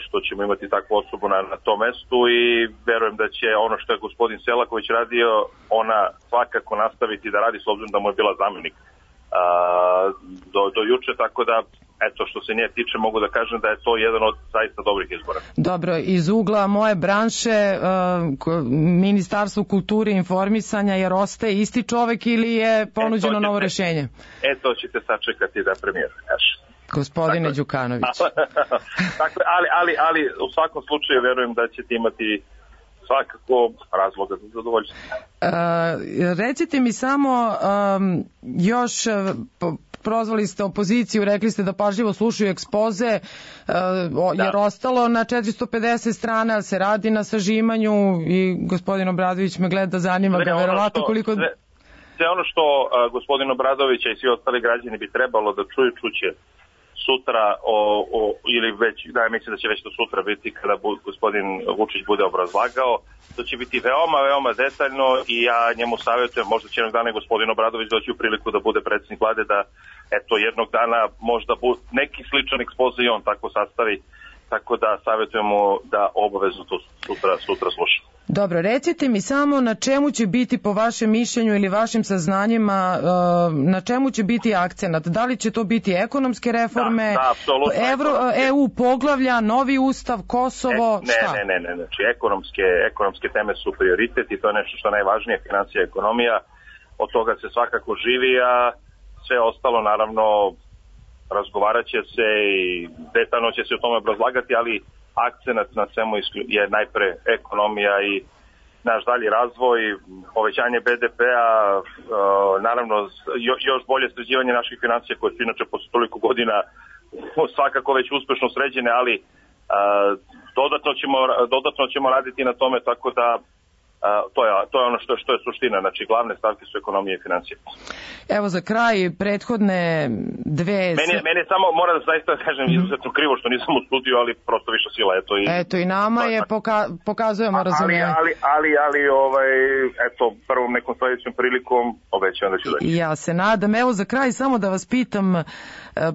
što ćemo imati takvu osobu na tom mestu i verujem da će ono što je gospodin Selaković radio, ona svakako nastaviti da radi s obzirom da mu je bila zamjenik do juče, tako da eto što se nje tiče mogu da kažem da je to jedan od zaista dobrih izbora. Dobro, iz ugla moje branše Ministarstvo kulture i informisanja, jer ostaje isti čovek ili je ponuđeno novo rešenje? To ćete sačekati da premijer kaže. Gospodine Đukanović. ali u svakom slučaju verujem da ćete imati svakako razloga za zadovoljstvo. Recite mi samo još, prozvali ste opoziciju, rekli ste da pažljivo slušaju ekspoze, jer ostalo na 450 strana, ali se radi na sažimanju i gospodin Obradović me gleda, zanima ga verovatno koliko... Sve ono što gospodin Obradović i svi ostali građani bi trebalo da čuće sutra ili već, mislim da će već to sutra biti kada gospodin Vučić bude obrazlagao, to će biti veoma, veoma detaljno i ja njemu savjetujem, možda će jednog dana gospodin Obradović doći u priliku da bude predsjednik vlade, da jednog dana možda neki sličan ekspoze i on tako sastavi tako da savjetujemo da obavezno to sutra slušamo. Dobro, recite mi samo na čemu će biti po vašem mišljenju ili vašim saznanjima, na čemu će biti akcenat? Da li će to biti ekonomske reforme, EU poglavlja, novi ustav, Kosovo, šta? Ne, znači ekonomske teme su prioritet i to je nešto što je najvažnije, financija i ekonomija, od toga se svakako živi, a sve ostalo naravno razgovarat će se i detaljno će se o tome obrazlagati, ali akcenat na svemu je najpre ekonomija i naš dalji razvoj, povećanje BDP-a, naravno još bolje sređivanje naših financija koje su inače posle toliko godina svakako već uspešno sređene, ali dodatno ćemo raditi na tome, tako da to je ono što je suština, znači glavne stavke su ekonomije i financije. Evo za kraj prethodne dve... Mene samo mora da zaista kažem izuzetno krivo što nisam u studiju, ali prosto više sila. Eto i nama je, pokazujemo razumijevanje. Ali eto, prvom nekom sledećom prilikom obećavam da ću doći. Ja se nadam. Evo za kraj samo da vas pitam,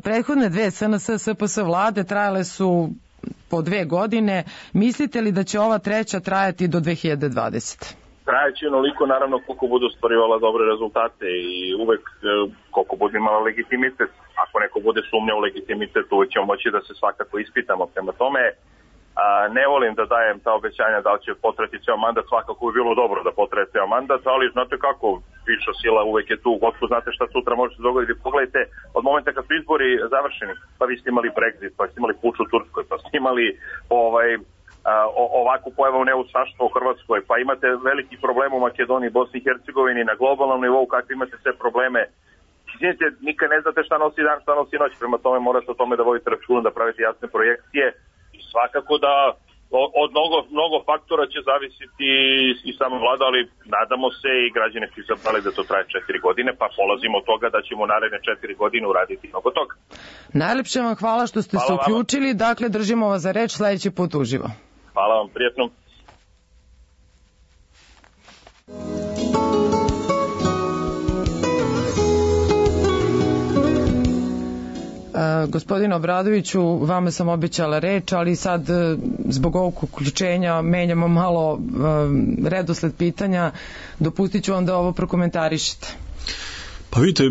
prethodne dve SNS, SPS vlade trajale su po 2 godine. Mislite li da će ova treća trajati do 2020? Trajaće onoliko, naravno, koliko budu ostvarivala dobre rezultate i uvek koliko bude imala legitimitet. Ako neko bude sumnjao u legitimitet, uvek ćemo moći da se svakako ispitamo. Prema tome, ne volim da dajem ta obećanja da li će potrajati ceo mandat, svakako bi bilo dobro da potraje ceo mandat, ali znate kako, viša sila uvek je tu, gospod znate šta sutra može se dogoditi. Pogledajte, od momenta kad su izbori završeni, pa vi ste imali Brexit, pa ste imali puč u Turskoj, pa ste imali ovakvu pojavu neustaštva u Hrvatskoj, pa imate veliki problem u Makedoniji, Bosni i Hercegovini, na globalnom nivou, kakve imate sve probleme. Izvinite, nikad ne znate šta nosi dan, šta nosi noć, prema tome morate o tome da vodite računa, da pravite jasne projekcije i svakako da od mnogo faktora će zavisiti i sama vlada, ali nadamo se i građani su izabrali da to traje 4 godine, pa polazimo od toga da ćemo naredne 4 godine uraditi mnogo toga. Najlepše vam hvala što ste se uključili, dakle držimo vas za reč, sledeći put uživo. Hvala vam, prijetno. Gospodine Obradoviću, vama sam obećala reč, ali sad zbog ovog uključenja menjamo malo redosled pitanja. Dopustit ću vam da ovo prokomentarišete. Pa vidite,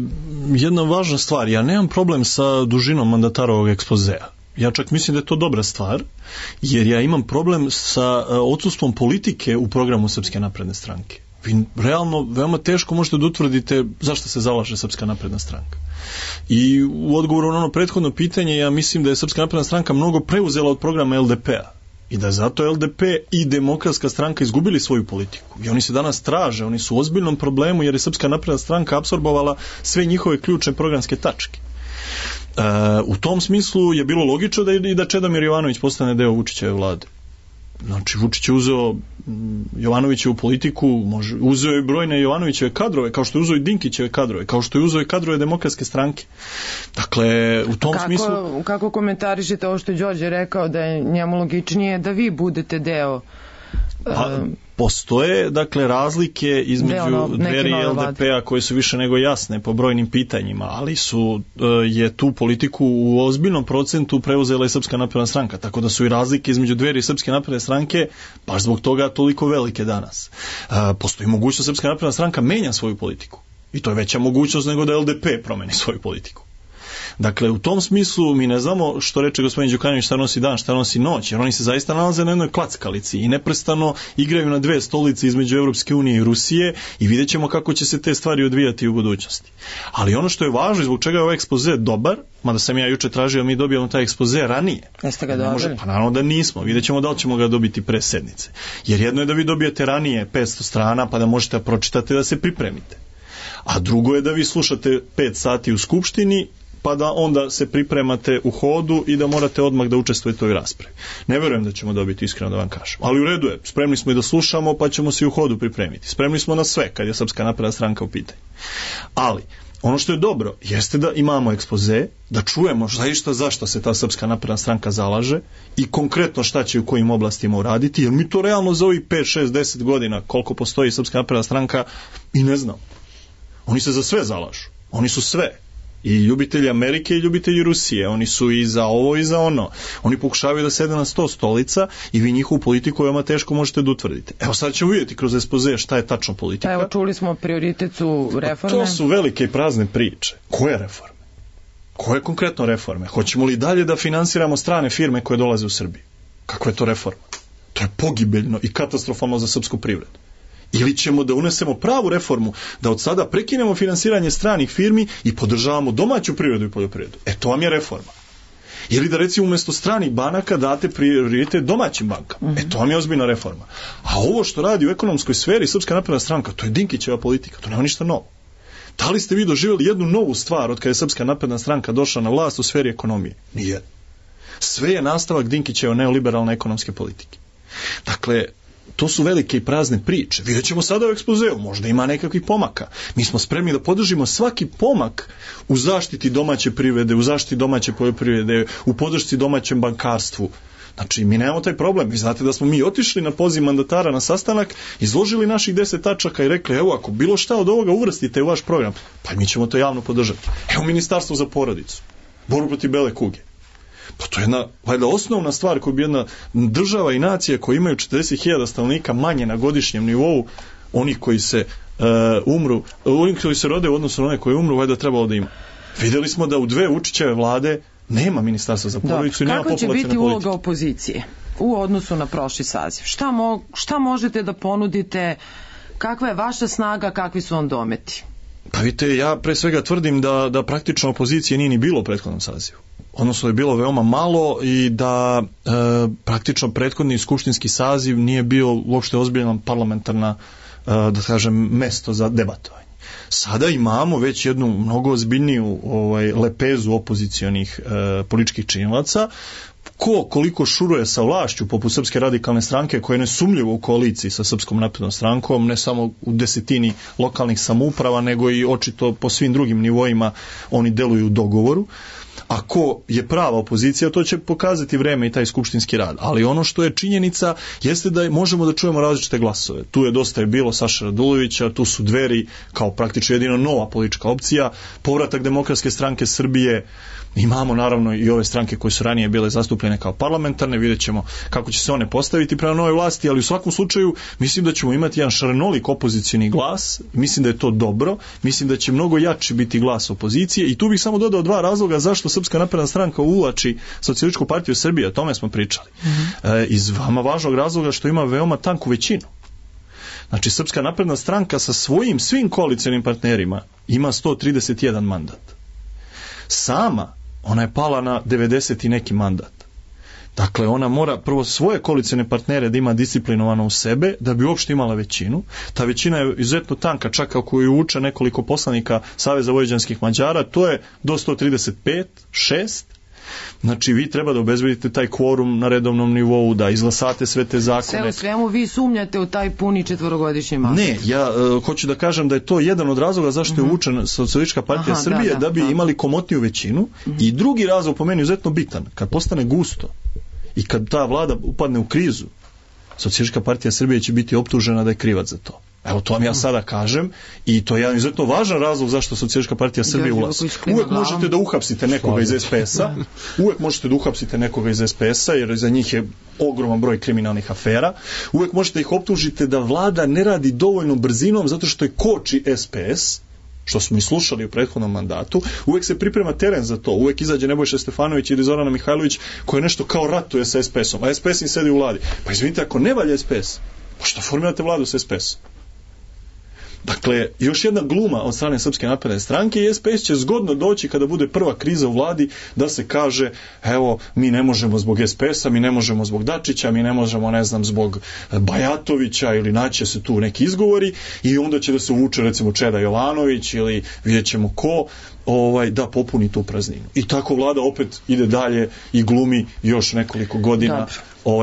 jedna važna stvar, ja nemam problem sa dužinom mandatarovog ekspozea. Ja čak mislim da je to dobra stvar, jer ja imam problem sa odsustvom politike u programu Srpske napredne stranke. Vi realno veoma teško možete da utvrdite zašto se zalaže Srpska napredna stranka. I u odgovoru na ono prethodno pitanje, ja mislim da je Srpska napredna stranka mnogo preuzela od programa LDP-a i da zato LDP i Demokratska stranka izgubili svoju politiku. I oni se danas traže, oni su u ozbiljnom problemu jer je Srpska napredna stranka apsorbovala sve njihove ključne programske tačke. U tom smislu je bilo logično da Čedomir Jovanović postane deo Vučićeve vlade. Znači, Vučić je uzeo Jovanovićevu politiku, uzeo je brojne Jovanovićeve kadrove, kao što je uzeo i Dinkićeve kadrove, kao što je uzeo i kadrove Demokratske stranke. Dakle, u tom smislu... Kako komentarišete ovo što je Đorđe rekao, da je njemu logičnije da vi budete deo... Postoje, dakle, razlike između Dveri i LDP-a koje su više nego jasne po brojnim pitanjima, ali je tu politiku u ozbiljnom procentu preuzela i Srpska napredna stranka, tako da su i razlike između Dveri i Srpske napredne stranke baš zbog toga toliko velike danas. Postoji mogućnost Srpska napredna stranka menja svoju politiku i to je veća mogućnost nego da LDP promeni svoju politiku. Dakle, u tom smislu mi ne znamo što reče gospodin Đukanović šta nosi dan, šta nosi noć, jer oni se zaista nalaze na jednoj klackalici i neprestano igraju na dve stolice između Europske unije i Rusije i vidjet ćemo kako će se te stvari odvijati u budućnosti. Ali ono što je važno i zbog čega je ovaj ekspoze dobar, mada sam ja juče tražio mi dobijemo taj ekspoze ranije. Jeste ga dobili? Pa naravno da nismo, vidjet ćemo da li ćemo ga dobiti pre sednice. Jer jedno je da vi dobijete ranije 500 strana pa da možete da pročitate da se pripremite. A drugo je da vi slušate 5 sati u Skupštini pa da onda se pripremate u hodu i da morate odmah da učestvujete u ovoj raspravi. Ne verujem da ćemo dobiti, iskreno da vam kažem. Ali u redu je, spremni smo i da slušamo, pa ćemo se i u hodu pripremiti. Spremni smo na sve, kad je Srpska napredna stranka u pitanju. Ali, ono što je dobro, jeste da imamo ekspoze, da čujemo zašto se ta Srpska napredna stranka zalaže i konkretno šta će u kojim oblastima uraditi, jer mi to realno za ovih 5, 6, 10 godina, koliko postoji Srpska napredna stranka, i ne znam. Oni se za sve zalažu. Oni su sve. I ljubitelji Amerike i ljubitelji Rusije. Oni su i za ovo i za ono. Oni pokušavaju da sede na 100 stolica i vi njihovu politiku veoma teško možete da utvrdite. Evo sad ćemo vidjeti kroz ekspoze šta je tačno politika. Evo čuli smo prioritet su reforme. To su velike i prazne priče. Koje reforme? Koje konkretno reforme? Hoćemo li dalje da finansiramo strane firme koje dolaze u Srbiju? Kakva je to reforma? To je pogibeljno i katastrofalno za srpsku privredu. Ili ćemo da unesemo pravu reformu, da od sada prekinemo finansiranje stranih firmi i podržavamo domaću privredu i poljoprivredu. To vam je reforma. Ili da recimo umjesto stranih banaka date prioritet domaćim bankama. To vam je ozbiljna reforma. A ovo što radi u ekonomskoj sferi Srpska napredna stranka, to je Dinkićeva politika, to nema ništa novo. Da li ste vi doživjeli jednu novu stvar od kada je Srpska napredna stranka došla na vlast u sferi ekonomije? Nijedno. Sve je nastavak Dinkićeve neoliberalne ekonomske politike. Dakle, to su velike i prazne priče. Vidjet ćemo sada u ekspozeu, možda ima nekakvih pomaka. Mi smo spremni da podržimo svaki pomak u zaštiti domaće privrede, u zaštiti domaće poljoprivrede, u podršci domaćem bankarstvu. Znači, mi nemamo taj problem. Vi znate da smo mi otišli na poziv mandatara na sastanak, izložili naših 10 tačaka i rekli, evo, ako bilo šta od ovoga uvrstite u vaš program, pa mi ćemo to javno podržati. Evo, Ministarstvo za porodicu, borbu protiv bele kuge. Pa to je jedna, valjda, osnovna stvar koju bi jedna država i nacija koji imaju 40.000 stanovnika manje na godišnjem nivou, onih koji se umru, oni koji se rode u odnosu na one koji umru, valjda trebalo da ima. Vidjeli smo da u 2 Vučićeve vlade nema Ministarstva za porodicu i nema populacione politike. Kako će biti uloga opozicije u odnosu na prošli saziv? Šta možete da ponudite? Kakva je vaša snaga, kakvi su vam dometi? Pa vidite, ja pre svega tvrdim da praktično opozicije nije ni bilo u prethodnom sazivu. Odnosno je bilo veoma malo i da praktično prethodni skupštinski saziv nije bio uopšte ozbiljna parlamentarna, da kažem, mesto za debatovanje. Sada imamo već jednu mnogo ozbiljniju lepezu opozicionih političkih činilaca. Koliko šuruje sa vlašću poput Srpske radikalne stranke koja je nesumljivo u koaliciji sa Srpskom naprednom strankom, ne samo u desetini lokalnih samouprava, nego i očito po svim drugim nivoima oni deluju u dogovoru. A ko je prava opozicija, to će pokazati vreme i taj skupštinski rad. Ali ono što je činjenica jeste da možemo da čujemo različite glasove. Tu je dosta bilo Saše Radulovića, tu su Dveri kao praktično jedino nova politička opcija, povratak Demokratske stranke Srbije, imamo naravno i ove stranke koje su ranije bile zastupljene kao parlamentarne, vidjet ćemo kako će se one postaviti prema novoj vlasti, ali u svakom slučaju mislim da ćemo imati jedan šarenolik opozicioni glas, mislim da je to dobro, mislim da će mnogo jači biti glas opozicije i tu bih samo dodao 2 razloga zašto Srpska napredna stranka uvlači Socijalističku partiju Srbije, o tome smo pričali. Iz vama važnog razloga što ima veoma tanku većinu. Znači, Srpska napredna stranka sa svim koalicionim partnerima ima 131 mandat. Sama ona je pala na 90 i neki mandat. Dakle, ona mora prvo svoje koalicione partnere da ima disciplinovano u sebe, da bi uopšte imala većinu. Ta većina je izuzetno tanka, čak ako ju uče nekoliko poslanika Saveza vojvođanskih Mađara, to je do 135, 6. Znači, vi treba da obezbedite taj kvorum na redovnom nivou, da izglasate sve te zakone. Sve u svemu vi sumnjate u taj puni 4-godišnji mandat. Ne, ja hoću da kažem da je to jedan od razloga zašto je uvučena Socijalistička partija Srbije, da bi imali komotniju većinu. I drugi razlog po meni izuzetno bitan, kad postane gusto i kad ta vlada upadne u krizu, Socijalistička partija Srbije će biti optužena da je krivac za to. Evo, to vam ja sada kažem i to je jedan izuzetno važan razlog zašto Socijalistička partija Srbije ulazi. Uvek možete da uhapsite nekoga iz SPS-a, iz SPS-a, jer za njih je ogroman broj kriminalnih afera. Uvek možete ih optužiti da vlada ne radi dovoljno brzinom zato što je koči SPS, što smo i slušali u prethodnom mandatu. Uvek se priprema teren za to. Uvek izađe Nebojša Stefanović ili Zorana Mihajlović koji nešto kao ratuje sa SPS-om, a SPS im sedi u vladi. Pa izvinite, ako ne valja SPS, pa što formirate vladu sa SPS-om? Dakle, još jedna gluma od strane Srpske napredne stranke i SPS će zgodno doći kada bude prva kriza u vladi da se kaže, evo, mi ne možemo zbog SPS-a, mi ne možemo zbog Dačića, mi ne možemo, ne znam, zbog Bajatovića ili naće se tu neki izgovori i onda će da se uvuče recimo Čeda Jovanović ili vidjet ćemo ko da popuni tu prazninu. I tako vlada opet ide dalje i glumi još nekoliko godina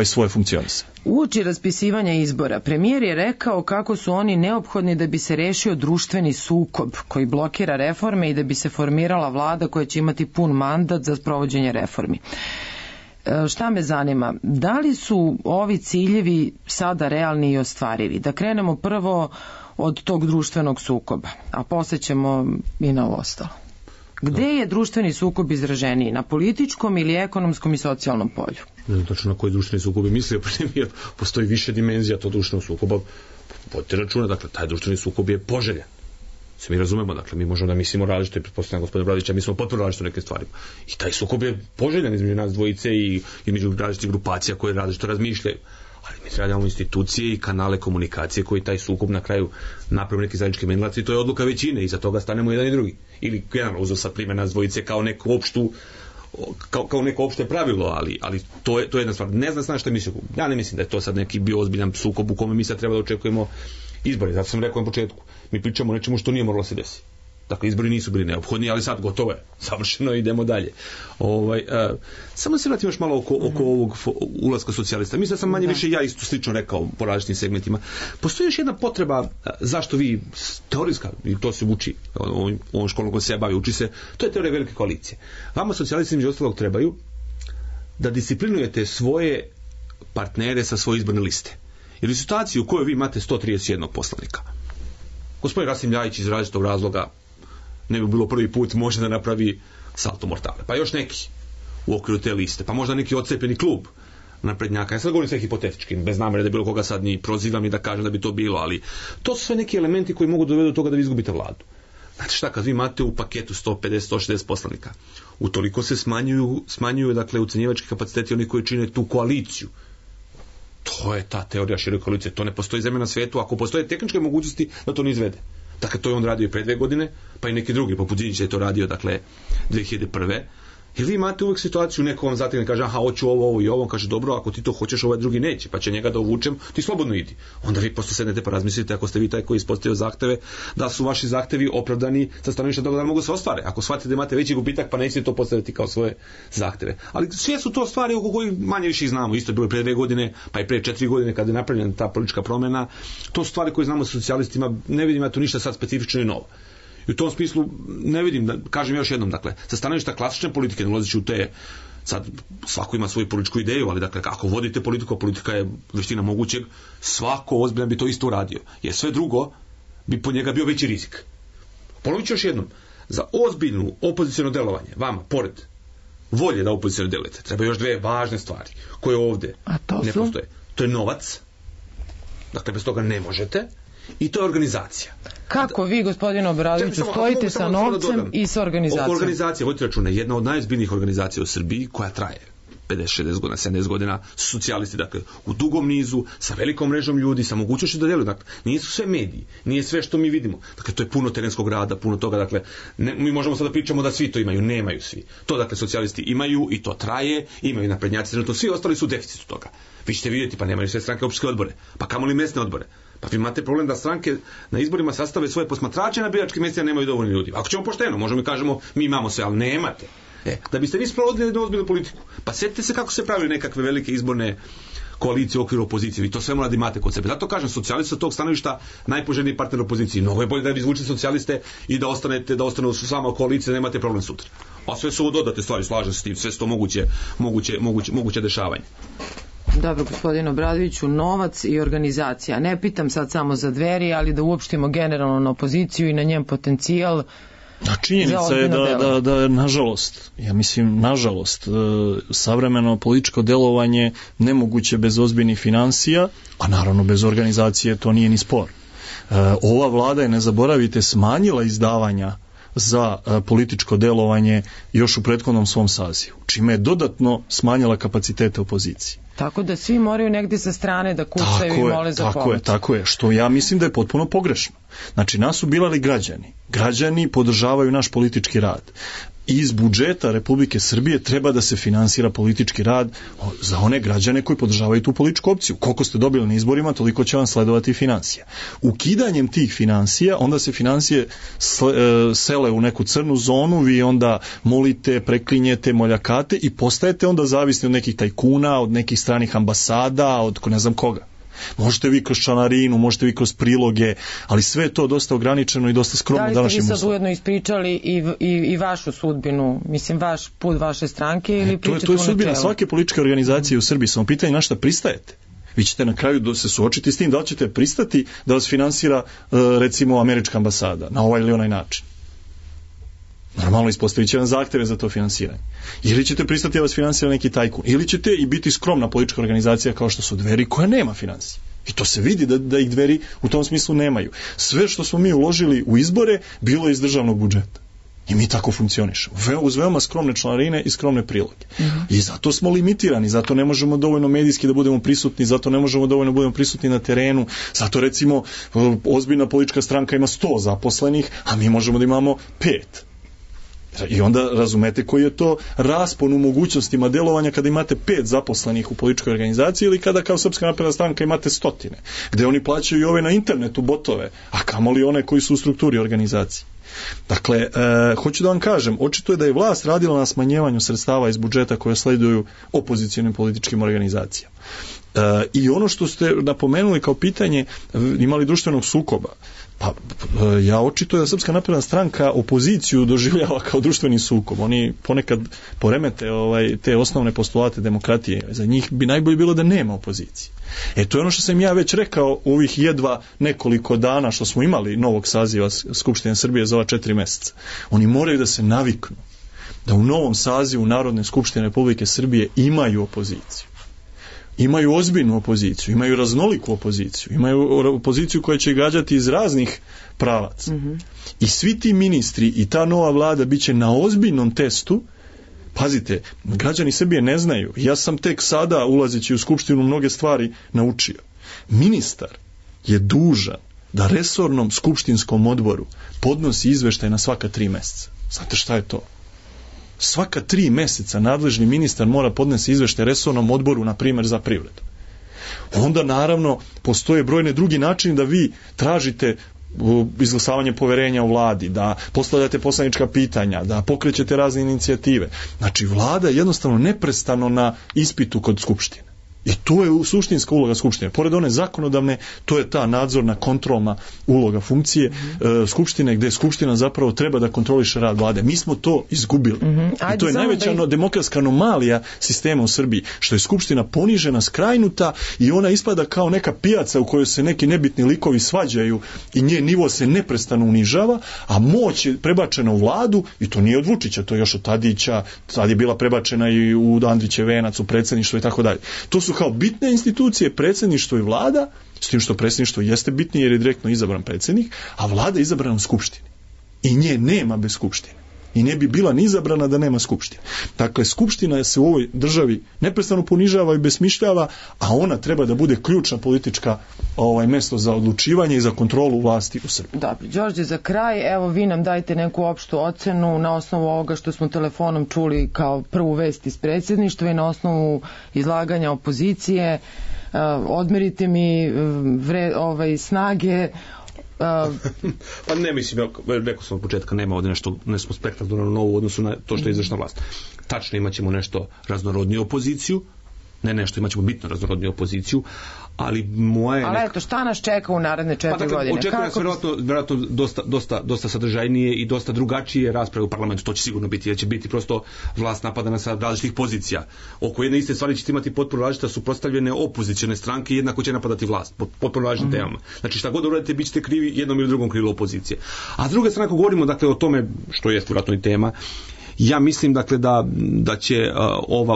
svoje funkcionisanje. Uoči raspisivanja izbora, premijer je rekao kako su oni neophodni da bi se rešio društveni sukob koji blokira reforme i da bi se formirala vlada koja će imati pun mandat za sprovođenje reformi. Šta me zanima? Da li su ovi ciljevi sada realni i ostvarivi? Da krenemo prvo od tog društvenog sukoba, a posle ćemo i na ovo ostalo. Gde je društveni sukob izraženiji? Na političkom ili ekonomskom i socijalnom polju? Ne znam tačno na koji društveni sukob je mislio, jer postoji više dimenzija tog društvenog sukoba. Vodite računa, dakle, taj društveni sukob je poželjan. Se mi razumemo, dakle, mi možemo da mislimo različito i pretpostavljam gospodina Bradića, mi smo potpuno različito neke stvari. I taj sukob je poželjan između nas dvojice i među različitih grupacija koje različito razmišljaju. Ali mi treba da imamo institucije i kanale komunikacije koji taj sukob na kraju naprave neki zajednički menilac i to je odluka većine i za toga stanemo jedan i drugi. Ili generalno uzeo sad primjer nas dvojice kao neku opštu kao neko opšte pravilo, ali to je jedna stvar. Ne znam šta mislim. Ja ne mislim da je to sad neki bio ozbiljan sukob u kome mi sad treba da očekujemo izbore. Zato sam rekao na početku. Mi pričamo o nečemu što nije moralo se desiti. Dakle, izbori nisu bili neophodni, ali sad gotovo je. Savršeno, idemo dalje. Samo se vratim još malo oko ovog ulaska socijalista. Mislim da sam manje više ja isto slično rekao po različitim segmentima. Postoji još jedna potreba zašto vi, teorijska, i to se uči ovom školom koja se ja bavi, uči se, to je teorija velike koalicije. Vama socijalisti među ostalog trebaju da disciplinujete svoje partnere sa svoje izborne liste. Jer u situaciji u kojoj vi imate 131 poslanika, gospodin Rasim Ljajić iz različitog razloga ne bi bilo prvi put može da napravi salto mortale. Pa još neki u okviru te liste. Pa možda neki odcepeni klub naprednjaka. Ja sad govorim sve hipotetički, bez namere da bilo koga sad ni prozivam ni da kažem da bi to bilo, ali to su sve neki elementi koji mogu dovedu do toga da vi izgubite vladu. Znate šta, kad vi imate u paketu 150-160 poslanika, utoliko se smanjuju dakle, ucenjivački kapaciteti oni koji čine tu koaliciju. To je ta teorija široke koalicije. To ne postoji zemlja na svijetu. Ako postoje tehničke mogućnosti da to ne izvede. Dakle, to je on radio i pre 2 godine, pa i neki drugi, poput Đinđića je to radio, dakle, 2001. Jer vi imate uvijek situaciju, neko vam zategne, kaže, aha, hoću ovo i ovo, on kaže, dobro, ako ti to hoćeš, ovaj drugi neće, pa će njega da uvučem, ti slobodno idi. Onda vi posto sednete pa razmislite, ako ste vi taj koji ispostavio zahteve, da su vaši zahtevi opravdani sa stanovišta toga da mogu se ostvare. Ako shvatite da imate veći gubitak, pa nećete to postaviti kao svoje zahteve. Ali sve su to stvari oko kojih manje više znamo. Isto je bilo pre 2 godine, pa i pre 4 godine kada je napravljena ta politička promjena. To su stvari koje znamo sa socijalistima, ne vidim ja tu ništa sad specifično i novo. I u tom smislu ne vidim, da kažem još jednom, dakle, sa stanovišta klasične politike, ne ulazeći u te, sad svako ima svoju političku ideju, ali dakle, ako vodite politiku, a politika je veština mogućeg, svako ozbiljan bi to isto uradio. Jer sve drugo bi po njega bio veći rizik. Ponovit ću još jednom, za ozbiljnu opoziciono delovanje, vama, pored volje da opoziciono delujete, treba još 2 važne stvari, koje ovdje ne postoje. To je novac, dakle, bez toga ne možete, i to je organizacija. Kako vi, gospodine Obradoviću, stojite sa novcem i sa organizacijom? Oko organizacije, vodite računa, jedna od najozbiljnijih organizacija u Srbiji, koja traje 50, 60 godina, 70 godina, su socijalisti, dakle, u dugom nizu, sa velikom mrežom ljudi, sa mogućnošću da djeluju. Dakle, nisu sve mediji, nije sve što mi vidimo. Dakle, to je puno terenskog rada, puno toga, dakle, mi možemo sada pričamo da svi to imaju, nemaju svi. To, dakle, socijalisti imaju i to traje, imaju naprednjaci, trenutno svi ostali su u deficitu toga. Vi ćete vidjeti, pa nemaju sve stranke opštinske odbore, pa kamoli mesne odbore. Pa vi imate problem da stranke na izborima sastave svoje posmatrače na biračkim mjestima, nemaju dovoljno ljudi. Ako ćemo pošteno, možemo i kažemo mi imamo sve, ali nemate. Da biste vi sprovodili jednu ozbiljnu politiku, pa sjetite se kako se pravili nekakve velike izborne koalicije u okviru opozicije. Vi to sve morate imate kod sebe. Zato kažem, socijalisti sa tog stanovišta najpoželjniji partner opoziciji. Mnogo je bolje da vi izvučete socijaliste i da ostanu su sama koalicije, da nemate problem sutra. A sve su ovo dodate stvari, slažem se s tim, sve su to moguće dešavanje. Dobro, gospodine Obradoviću, novac i organizacija. Ne pitam sad samo za Dveri, ali da uopštimo generalno na opoziciju i na njen potencijal. A činjenica je da nažalost, ja mislim nažalost, savremeno političko delovanje nemoguće bez ozbiljnih financija, a naravno bez organizacije to nije ni spor. Ova vlada je, ne zaboravite, smanjila izdavanja za političko delovanje još u prethodnom svom sazivu, čime je dodatno smanjila kapacitete opozicije. Tako da svi moraju negdje sa strane da kucaju i mole za pomoć. Tako je, što ja mislim da je potpuno pogrešno. Znači, nas su birali građani. Građani podržavaju naš politički rad. Iz budžeta Republike Srbije treba da se finansira politički rad za one građane koji podržavaju tu političku opciju. Koliko ste dobili na izborima, toliko će vam sledovati financija. Ukidanjem tih financija, onda se financije sele u neku crnu zonu, vi onda molite, preklinjete, moljakate i postajete onda zavisni od nekih tajkuna, od nekih stranih ambasada, od ne znam koga. Možete vi kroz članarinu, možete vi kroz priloge, ali sve je to dosta ograničeno i dosta skromno današnjim uslovima. Da li ste vi sad ujedno ispričali i vašu sudbinu, mislim vaš put vaše stranke ili pričate u načelu? To je sudbina svake političke organizacije u Srbiji, samo pitanje na šta pristajete. Vi ćete na kraju se suočiti s tim da li ćete pristati da vas finansira recimo američka ambasada na ovaj ili onaj način. Normalno ispostavit će vam zahteve za to finansiranje. Ili ćete pristati da vas finansira neki tajkun, ili ćete i biti skromna politička organizacija kao što su Dveri, koja nema finansije. I to se vidi da ih Dveri u tom smislu nemaju. Sve što smo mi uložili u izbore bilo je iz državnog budžeta. I mi tako funkcionišemo. Uz veoma skromne članarine i skromne priloge. I zato smo limitirani, zato ne možemo dovoljno medijski da budemo prisutni, zato ne možemo dovoljno da budemo prisutni na terenu, zato recimo ozbiljna politička stranka ima 100 zaposlenih, a mi možemo da imamo 5. I onda razumete koji je to raspon u mogućnostima delovanja kada imate 5 zaposlenih u političkoj organizaciji ili kada kao Srpska napredna stranka imate 100, gde oni plaćaju i ove na internetu botove, a kamoli one koji su u strukturi organizacije. Dakle, hoću da vam kažem, očito je da je vlast radila na smanjivanju sredstava iz budžeta koje sleduju opozicionim političkim organizacijama. I ono što ste napomenuli kao pitanje, imali društvenog sukoba, pa ja očito je da Srpska napredna stranka opoziciju doživljava kao društveni sukob. Oni ponekad poremete te osnovne postulate demokratije. Za njih bi najbolje bilo da nema opozicije. To je ono što sam ja već rekao u ovih jedva nekoliko dana što smo imali novog saziva Skupštine Srbije za ova 4 meseca. Oni moraju da se naviknu da u novom sazivu Narodne skupštine Republike Srbije imaju opoziciju. Imaju ozbiljnu opoziciju, imaju raznoliku opoziciju, imaju opoziciju koja će gađati iz raznih pravaca. I svi ti ministri i ta nova vlada bit će na ozbiljnom testu. Pazite, građani Srbije ne znaju. Ja sam tek sada, ulazeći u Skupštinu, mnoge stvari naučio. Ministar je dužan da resornom skupštinskom odboru podnosi izveštaj na svaka 3 meseca. Znate šta je to? Svaka 3 meseca nadležni ministar mora podnesi izveštaj resornom odboru, na primjer za privredu. Onda naravno postoje brojne drugi načini da vi tražite izglasavanje poverenja u vladi, da postavljate poslanička pitanja, da pokrećete razne inicijative. Znači vlada je jednostavno neprestano na ispitu kod Skupštine. I to je suštinska uloga Skupštine. Pored one zakonodavne, to je ta nadzorna, kontrolna uloga funkcije Skupštine, gde Skupština zapravo treba da kontroliše rad vlade. Mi smo to izgubili. I to je najveća demokratska anomalija sistema u Srbiji, što je Skupština ponižena, skrajnuta i ona ispada kao neka pijaca u kojoj se neki nebitni likovi svađaju i njen nivo se neprestano unižava, a moć je prebačena u vladu i to nije od Vučića, to je još od Tadića, sad je bila prebačena i u Andrićev venac, u predsjedništvo i tako dalje. To su kao bitne institucije, predsjedništvo i vlada, s tim što predsjedništvo jeste bitnije jer je direktno izabran predsjednik, a vlada je izabrana u Skupštini. I nje nema bez Skupštine. I ne bi bila ni izabrana da nema Skupštine. Dakle, Skupština se u ovoj državi neprestano ponižava i besmišljava, a ona treba da bude ključna politička mesto za odlučivanje i za kontrolu vlasti u Srbiji. Dobro, Đorđe, za kraj, evo vi nam dajte neku opštu ocenu na osnovu ovoga što smo telefonom čuli kao prvu vest iz predsjedništva i na osnovu izlaganja opozicije. Odmerite mi snage. Pa ne mislim, rekao sam od početka, nema ovdje nešto spektakularno novo u odnosu na to što je izvršna vlast. Tačno imat ćemo nešto raznorodniju opoziciju, imat ćemo bitno raznorodniju opoziciju, ali moje... Ali eto, šta nas čeka u naredne 4 godine? Očekuje nas vjerojatno dosta sadržajnije i dosta drugačije rasprave u parlamentu, to će sigurno biti, jer će biti prosto vlast napadana sa različitih pozicija. Oko jedne iste stvari ćete imati potpuno različite suprotstavljene opozicione stranke i jednako će napadati vlast, potpuno različitim temama. Znači šta god uradite, bit ćete krivi jednom ili drugom krilu opozicije. A s druge strane, ako govorimo dakle o tome, što je vjerojatno i tema, ja mislim dakle da će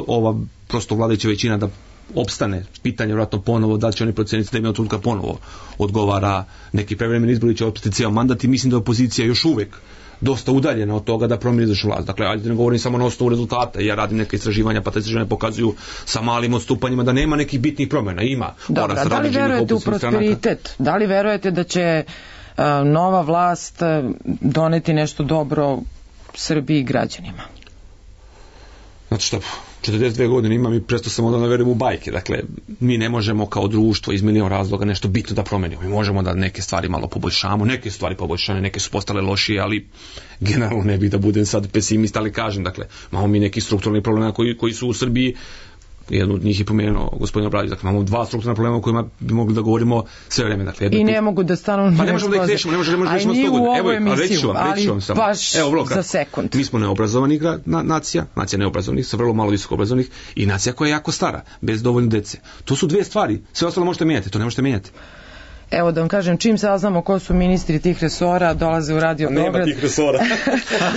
ova prosto vladajuća većina da opstane. Pitanje vjerojatno ponovo da li će oni proceniti da im je trenutka ponovo odgovara neki prevremeni izbor ili će opstati cijel mandat i mislim da je opozicija još uvijek dosta udaljena od toga da promijeni izvršnu vlast. Dakle, ajde ne govorim samo na osnovu rezultata. Ja radim neke istraživanja, pa te istraživanja pokazuju sa malim odstupanjima da nema nekih bitnih promjena. Ima. Dobro, da li verujete u prosperitet? Da li verujete da će nova vlast doneti nešto dobro Srbiji i građanima? Znači što, 42 godine imam i prestao sam onda da verujem u bajke. Dakle, mi ne možemo kao društvo iz milion razloga nešto bitno da promenimo. Mi možemo da neke stvari malo poboljšamo, neke stvari poboljšane, neke su postale lošije, ali generalno ne bih da budem sad pesimist, ali kažem, dakle, imamo mi neki strukturalni problema koji su u Srbiji. Jednu od njih je pomenuo gospodin Obradović. Dakle, imamo 2 strukturna problema o kojima bi mogli da govorimo sve vreme. Dakle, i ne mogu da stanu... Pa ne možemo da ih rešimo, ne možemo da rešimo 100 godina. Evo, reći ću vam samo. Baš za sekund. Mi smo neobrazovani nacija neobrazovanih, sa vrlo malo visoko obrazovanih i nacija koja je jako stara, bez dovoljno dece. To su 2 stvari. Sve ostalo možete mijenjati, to ne možete mijenjati. Evo da vam kažem, čim saznamo ko su ministri tih resora, dolaze u Radio Beograd. Nema tih resora.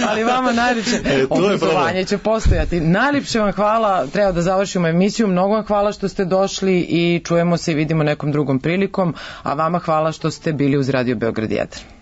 Ali vama najljepše obrazovanje će postojati. Najljepše vam hvala, treba da završimo emisiju. Mnogo vam hvala što ste došli i čujemo se i vidimo nekom drugom prilikom, a vama hvala što ste bili uz Radio Beograd 1.